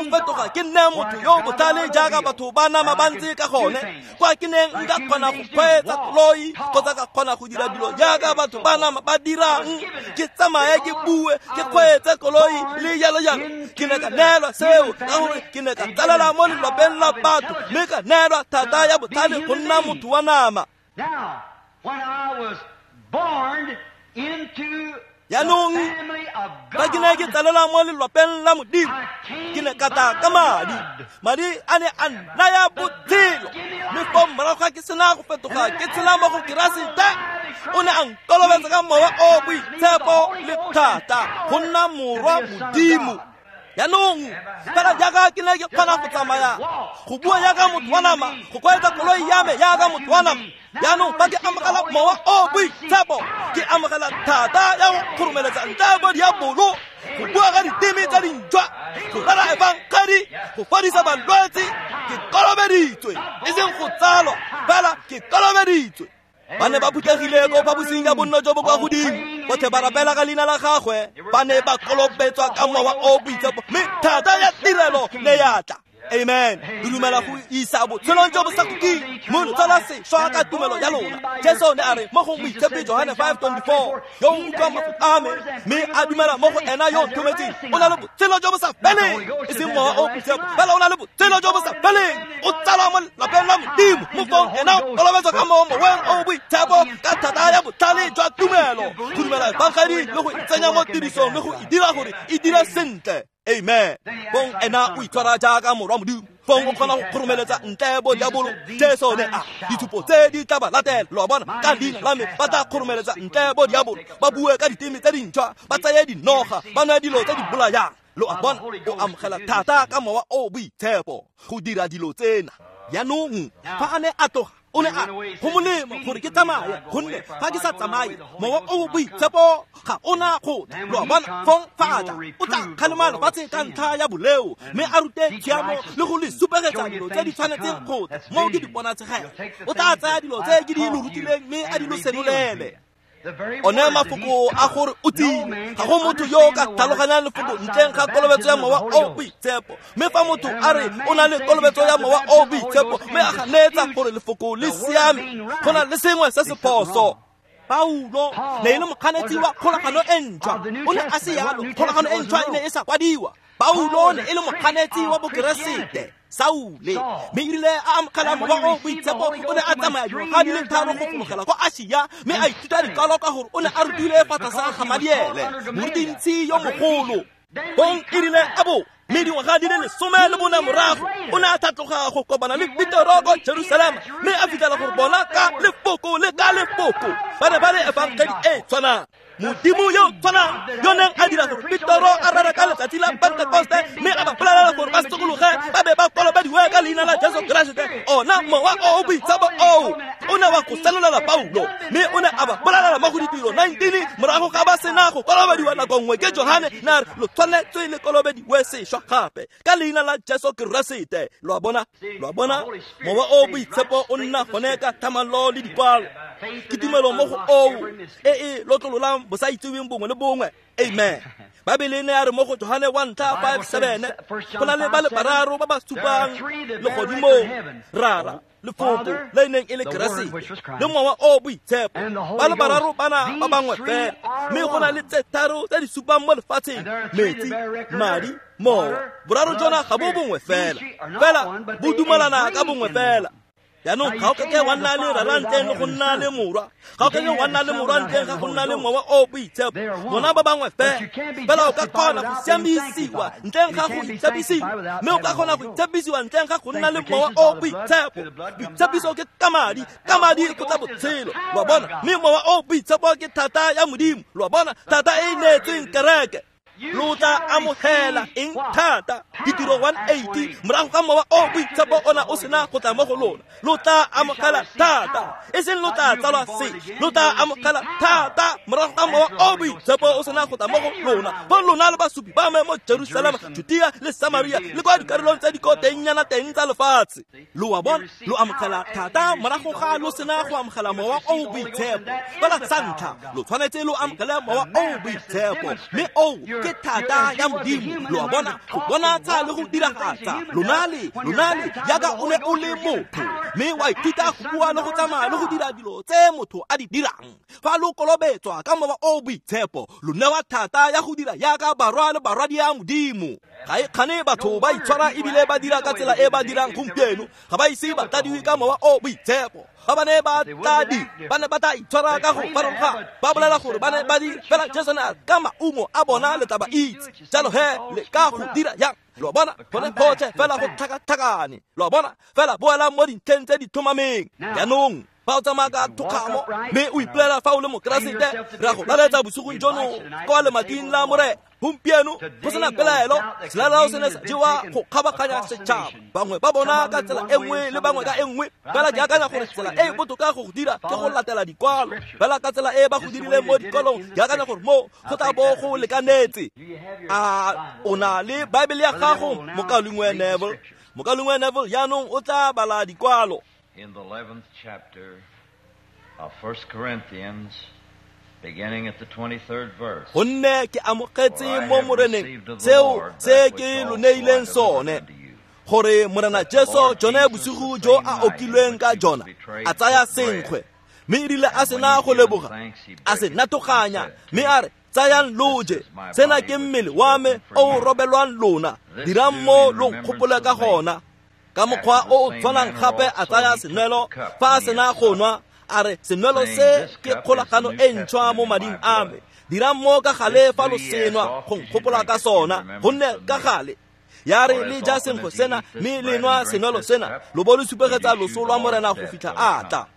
fetoga ke nne motho yo botlhale jaaka batho ba nama ba ntse ka gone, kwa ke neng nka kgona go kgweetsa koloi kgotsa ka kgona go dira dilo jaaka batho ba nama ba dirang, ke tsamaye ke bue ke kgweetse koloi le jalo jalo. Ke ne ka neelwa seo ka gore ke ne ka tsalela mo lelapeng la batho, mme ka neelwa thata ya botlhale go nna motho wa nama. Jaanong fa ke ne ke tsalela mo lelapeng la Modimo, ke ne ka tla ka madi. Madi a ne a nnaya botshelo, mme fo morago ga ke sena go fetoga ke tshela mo go Keresete, o ne a nkolobetsa ka mowa o boitshepo le thata go nna morwa Modimo. Jaanong fela jaaka ke ne ke kgona go tsamaya, go bua jaaka motho wa nama, go kgweetsa koloi ya me jaaka motho wa nama, jaanong fa ke amogela mowa o boitshepo, ke amogela thata ya go kgoromeletsa ntle bo diabolo Go bua ka diteme tsa dintšhwa, go rera efangedi, go fodisa balwetse. Ke kolobeditswe, e seng go tsalwa, fela ke kolobeditswe. Ba ne ba phuthegile ko phaposing ya bonno jo bo kwa godimo, botlhe ba rapela ka leina la gagwe. Ba ne ba kolobetswa ka Mowa o Boitshepo, mme thata ya tirelo ne ya tla. Amen. Re dumela go isa botshelong jo bo sa khutleng, mo lo tsala sešwa ka tumelo ya lona. Jesu ne a re mo go Moitshepi Johane 5:24, yo o utlwang mafoko a me mme a dumela mo go ena yo o nthometseng, o na le botshelo jo bo sa feleng. E seng Mowa o Boitshepo, fela o na le botshelo jo bo sa feleng. O tsalwa mo lapeng la Modimo, mo fong ena o kolobetswa ka mo Moweng o Boitshepo ka thata ya botlhale jwa tumelo, go dumela efangedi le go itsenya mo tirisong le go e dira gore e dire sentle. Amen. Fong ena o itshwara jaaka morwa Modimo, fong o kgona go kgoromeletsa ntle bo diabolo. Jesu ne a ditshupo tse di tla ba latela, lo a bona, ka leina la me ba tla kgoromeletsa ntle bo diabolo, ba bue ka diteme tse dintšhwa, ba tseye dinoga, ba nwe dilo tse di bolayang. Lo a bona, o amogela thata ka Mowa o Boitshepo go dira dilo tsena. Jaanong fa a ne a tloga, o ne a go molemo gore ke tsamaye, gonne fa ke sa tsamaye, Mowa o Boitshepo ga ona go tla. Lo a bona, fong fa a tla, o tla kgalema lefatshe ka ntlha ya boleo, mme a rute tshiamo le go le supegetsa dilo tse di tshwanetseng go tla. Moo ke diponatshegelo. O tla tsaya dilo tse ke di lo rutileng mme a di lo senolele. One mafoko a gore o tsile, ga go motho yo o ka tlhaloganyang lefoko ntleng ga kolobetso ya Mowa o Boitshepo. Mme fa motho a re o na le kolobetso ya Mowa o Boitshepo mme a ganetsa gore lefoko le siame, go na le sengwe se se phoso. Paulo ne e le mokganetsi wa kgolagano e ntšhwa. O ne a se yalo, kgolagano e ntšhwa e ne e sa kwadiwa. Paulo ne e le mokganetsi wa Bokeresete, Saule, mme erile a amogela Mowa o Boitshepo, o ne a tsamaya dingwaga di le tharo go fologela kwa Asia, mme a ithuta dikwalo ka gore o ne a rutile fa tlase ga Gamaliele, morutintshi yo mogolo. Bong erile a bo mme dingwaga di le 14 morago, o ne a tlhatloga go kopana le Petero ko Jerusalema, mme a fitlhela gore bona ka lefoko le ka lefoko ba ne ba le efangedi e tshwanang. Modimo yo tshwanang yo neng a dira gore Petero a rere ka letsatsi la Pentekoste, mme a ba bolelela gore ba sokologe ba be ba kolobediwe ka leina la Jesu Keresete, ona Mowa o o Boitshepo oo o ne wa go senolela Paulo, mme o ne a ba bolelela mo go Ditiro 19 morago ga ba sena go kolobediwa nako nngwe ke Johane, ne a re lo tshwanetswe le kolobediwe sešwa gape ka leina la Jesu Keresete. Lo a bona, lo a bona, Mowa o Boitshepo o nna gone ka thamallo le dikwalo. Ke tumelo mo go oo e e lotlololang bosaitseweng bongwe le bongwe. Amen. Baebele ne ya re mo go Johane 1:5-7, go na le ba le bararo ba ba supang legodimong, Rara, Lefoko le neng e le Keresete, le Mowa o Boitshepo. Ba le bararo bana ba bangwe fela, mme go na le tse tharo tse di supang mo lefatsheng, metsi, madi, mowa. Boraro jona ga bo bongwe fela, fela bo dumalana ka bongwe fela. Jaanong ga o kake wa nna le Rara ntleng le go nna le Morwa, ga o kake wa nna le Morwa ntleng ga go nna le Mowa o Boitshepo. Bona ba bangwe fela, fela o ka kgona go siamisiwa ntleng ga go itshepisiwa, mme o ka kgona go itshepisiwa ntleng ga go nna le Mowa o Boitshepo. Boitshepiso ke ka madi, ka madi go tla botshelo, lo a bona. Mme Mowa o Boitshepo ke thata ya Modimo, lo a bona, thata e e neetsweng kereke. Lo tla amogela eng thata? Ditiro 1:80 morago ga Mowa o Boitshepo ona o sena go tla mo go lona, lo tla amogela thata, e seng lo tla tsalwa se, lo tla amogela thata morago ga Mowa o Boitshepo o sena go tla mo go lona. Bo lona le basupi ba me mo Jerusalema, Judea le Samaria le kwa dikarolong tse di ko tengnyana teng tsa lefatshe. Lo a bona, lo amogela thata morago ga lo sena go amogela Mowa o Boitshepo. Fela sa ntlha, lo tshwanetse lo amogele Mowa o Boitshepo, mme oo ke thata ya Modimo. Lo a bona, go bonatsa le go diragatsa. Lona le jaaka o ne o le motho, mme wa ithuta go bua le go tsamaya le go dira dilo tse motho a di dirang. Fa lo kolobetswa ka Mowa o Boitshepo, lo newa thata ya go dira jaaka barwa le barwadia Modimo. Ga e kgane batho ba itshwara ebile ba dira ka tsela e ba dirang gompieno, ga ba ise ba tladiwe ka Mowa o Boitshepo. Ga ba ne ba tladi, ba ne ba tla itshwara ka go farologana, ba bolela gore ba ne ba dira fela. Jesu ne a ka maungo a bona le tla ba itse. Jalo he le ka go dira jang? Lo a bona, gone gotlhe fela go tlhakatlhakane. Lo a bona, fela boela mo dintlheng tse di tlhomameng. Jaanong Fa o tsamaya ka thokgamo mme o ipolela fa o le mokeresete, re a go laletsa bosigong jono kwa lemating la Morena. Gompieno go sena pelaelo, selalelo se ne sa jewa go kgabaganya setšhaba, bangwe ba bona ka tsela e nngwe le bangwe ka e nngwe. Fela ke akanya gore tsela e e botoka go go dira ke go latela dikwalo, fela ka tsela e ba go dirileng mo dikwalong. Ke akanya gore mo go tla bo go lekanetse. A o na le Baebele ya gago, mokaulengwe Neville? Mokaulengwe Neville jaanong o tla bala dikwalo. In the 11th chapter of 1 Corinthians, beginning at the 23rd verse. Gonne ke amogetse mo Moreneng seo se ke lo neileng sone, gore Morena Jesu jone bosigo jo a okilweng ka jona, a tsaya senkgwe, mme erile a sena go leboga, a se natoganya, mme a re, tsayang lo je, sena ke mmele wa me o o robelwang lona, dirang mo lo nkgopole ka gona. Ka mokgwa o o tshwanang gape a tsaya senwelo fa a sena go nwa, a re, senwelo se ke kgolagano e ntšhwa mo mading a me, dirang mo ka gale fa lo senwa go nkgopola ka sona. Gonne ka gale ya re le ja senkgwe sena mme le nwa senwelo sena, lo bo lo supegetsa loso lwa Morena go fitlha a tla.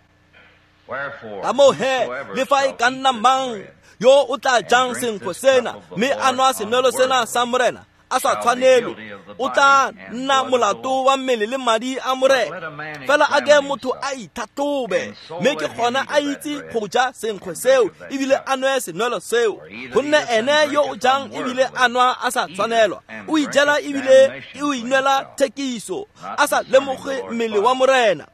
Ka moo he, le fa e ka nna mang yo o tla jang senkgwe sena mme a nwa senwelo sena sa Morena a sa tshwanelwe, o tla nna molato wa mmele le madi a Morena. Fela a ke motho a itlhatlhobe, mme ke gona a itse go ja senkgwe seo ebile a nwe senwelo seo. Gonne ene yo o jang ebile a nwa a sa tshwanelwa, o ijela ebile o inwela thekiso, a sa lemoge mmele wa Morena.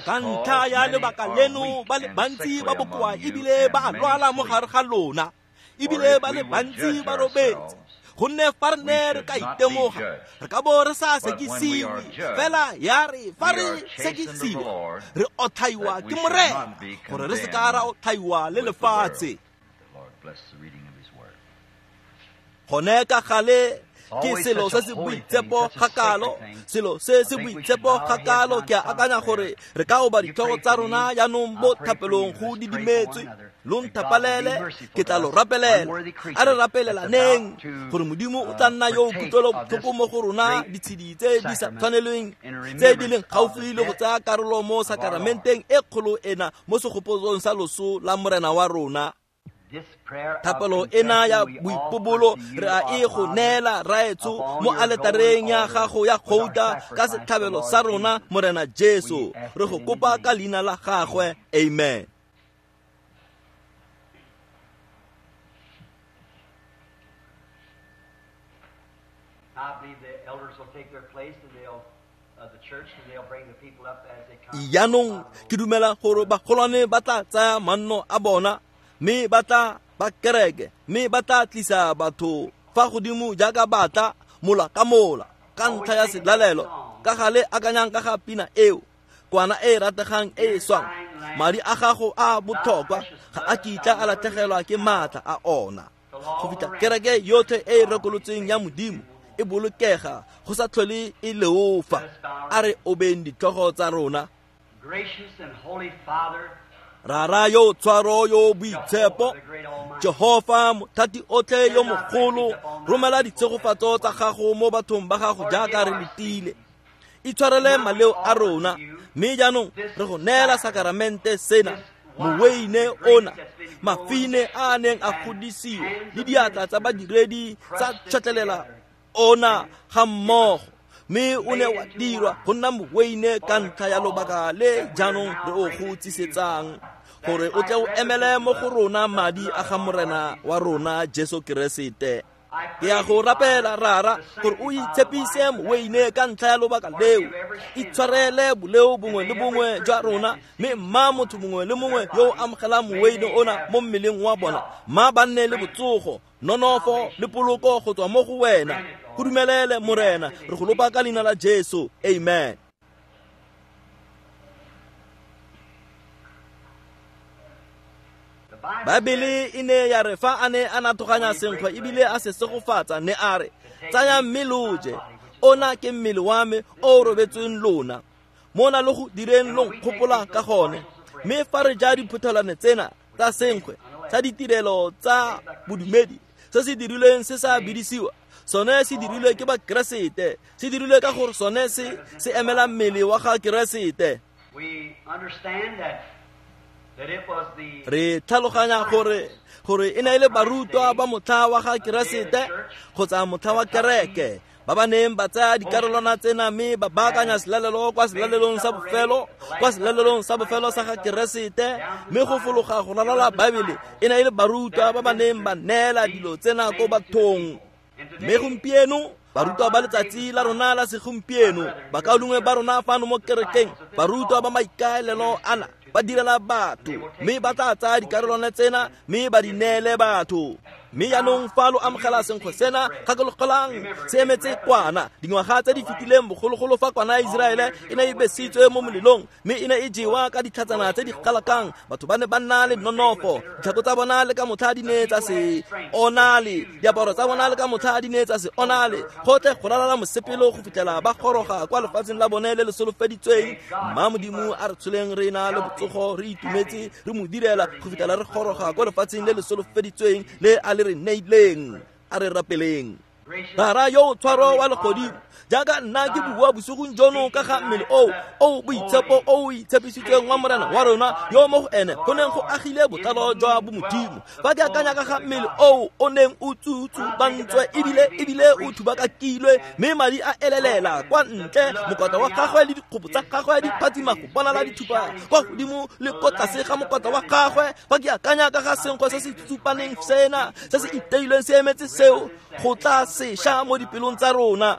Ka ntlha ya lebaka leno ba le bantsi ba bokoa ebile ba a lwala mo gare ga lona, ebile ba le bantsi ba robetse. Gonne fa re ne re ka itemoga, re ka bo re sa sekisiwe. Fela ya re fa re sekisiwa, re otlhaiwa ke Morena, gore re se ka ra otlhaiwa le lefatshe. Gone ka gale ke selo se se boitshepo gakalo, selo se se boitshepo gakalo. Ke a akanya gore re ka oba ditlhogo tsa rona jaanong mo thapelong go didimetswe. Lo nthapalele, ke tla lo rapelela. A re rapelelaneng gore Modimo o tla nna yo o kutlwelobotlhoko mo go rona ditshedi tse di sa tshwanelweng, tse di leng gaufi le go tsaya karolo mo sakaramenteng e kgolo ena mo segopotsong sa loso la Morena wa rona. Thapelo ena ya boipobolo re a e go neela Raetsho mo aletareng ya gago ya gouta ka setlhabelo sa rona Morena Jesu. Re go kopa ka leina la gagwe, amen. Jaanong ke dumela gore bagolwane ba tla tsaya manno a bona, mme ba tla ba kereke, mme ba tla tlisa batho fa godimo jaaka ba tla mola ka mola ka ntlha ya selalelo. Ka gale akanyang ka ga pina eo, kwana e rategang e e swang, madi a gago a botlhokwa ga a kitla a latlhegelwa ke maatla a ona, go fitlha kereke yotlhe e e rekolotsweng ya Modimo e bolokega go sa tlhole e leofa. A re obeng ditlhogo tsa rona. Rara yo tshwaro yo boitshepo, Jehofa mothati otlhe yo mogolo, romela ditshegofatso tsa gago mo bathong ba gago jaaka re letile. Itshwarele maleo a rona, mme jaanong re go neela sakaramente sena, moweine ona, mafine a a neng a godisiwa le diatla tsa badiredi tsa tšhwetlelela ona ga mmogo, mme o ne wa dirwa go nna moweine ka ntlha ya lobaka le jaanong re o go tsisetsang, gore o tle o emele mo go rona madi a ga Morena wa rona Jesu Keresete. Ke ya go rapela Rara gore o itshepise moweine ka ntlha ya lobaka leo, itshwarele boleo bongwe le bongwe jwa rona, mme mma motho mongwe le mongwe yo o amogelang moweine ona mo mmeleng wa bona, mma ba nne le botsogo, nonofo le poloko go tswa mo go wena. Go dumelele Morena, re go lopa ka leina la Jesu, amen. Baebele e ne ya re fa a ne a natoganya senkgwe ebile a se segofatsa, ne a re, tsayang mme lo je, ona ke mmele wa me o o robetsweng lona, mona le go direng lo nkgopola ka gone. Mme fa re ja diphuthelwane tsena tsa senkgwe tsa ditirelo tsa bodumedi, se se dirilweng se sa bidisiwa, sone se dirilwe ke ba Keresete, se dirilwe ka gore sone se se emela mmele wa ga Keresete. Re tlhaloganya gore e ne e le barutwa ba motlha wa ga Keresete kgotsa motlha wa kereke ba ba neng ba tsaya dikarolwana tsena mme ba baakanya selalelo kwa selalelong sa bofelo, kwa selalelong sa bofelo sa ga Keresete. Mme go fologa go ralala Baebele e ne e le barutwa ba ba neng ba neela dilo tsena ko bathong. Mme gompieno barutwa ba letsatsi la rona la segompieno, bakaulengwe ba rona fano mo kerekeng, barutwa ba maikaelelo ana ba direla batho, mme ba tla tsaya dikarolwana tsena mme ba di neele batho. Mme jaanong fa lo amogela senkgwe sena, gakologelang se emetse kwana. Dingwaga tse di fetileng bogologolo fa kwana ya Iseraele e ne e besitswe mo molelong mme e ne e jewa ka ditlhatsana tse di galakang, batho ba ne ba nna le nonofo. Ditlhako tsa bona le ka motlha di ne tsa se onale, diaparo tsa bona le ka motlha di ne tsa se onale, gotlhe go ralala mosepelo go fitlhela ba goroga kwa lefatsheng la bone le le solofeditsweng. Mma Modimo a re tsholeng re na le botsogo, re itumetse, re mo direla go fitlhela re goroga kwa lefatsheng le le solofeditsweng le a le re neileng. A re rapeleng. Rara yo tshwaro wa legodimo, jaaka nna ke bua bosigong jono ka ga mmele o boitshepo o itshepisitsweng wa Morena wa rona, yo mo go ene go neng go agile botlalo jwa bomodimo. Fa ke akanya ka ga mmele o neng o tsutsubantswe ebile o thubakakilwe, mme madi a elelela kwa ntle, mokota wa gagwe le dikgopo tsa gagwe di phatsima go bonala dithupa kwa godimo le ko tlase ga mokota wa gagwe. Fa ke akanya ka ga senkgwe se se tsutsupaneng sena se se iteilweng se emetse seo go tla sešwa mo dipelong tsa rona.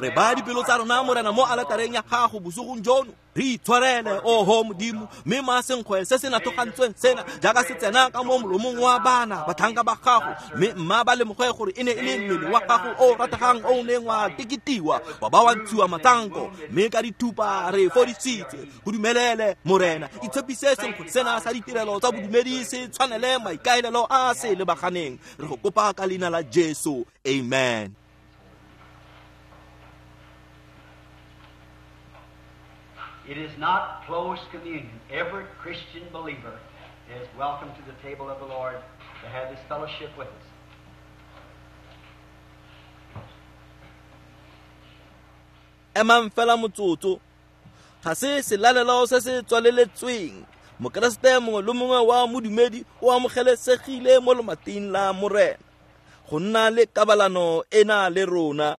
Re baya dipelo tsa rona, Morena, mo aletareng ya gago bosigong jono. Re itshwarele, oho Modimo, mme ma senkgwe se se nathogantsweng sena jaaka se tsena ka mo molomong wa bana batlhanka ba gago, mme mma ba lemoge gore e ne e le mmele wa gago o rategang o neng wa teketiwa wa ba wa ntshiwa matsanko, mme ka dithupa re fodisitswe. Go dumelele, Morena, itshepise senkgwe sena sa ditirelo tsa bodumedi se tshwanele maikaelelo a se lebaganeng. Re go kopa ka leina la Jesu, amen. It is not closed communion. Every Christian believer is welcome to the table of the Lord to have this fellowship with us. Emang fela motsotso. Ga se selalelo se se tswaleletsweng. Mokeresete mongwe le mongwe wa modumedi o amogelesegile mo lomating la Morena go nna le kabalano ena le rona.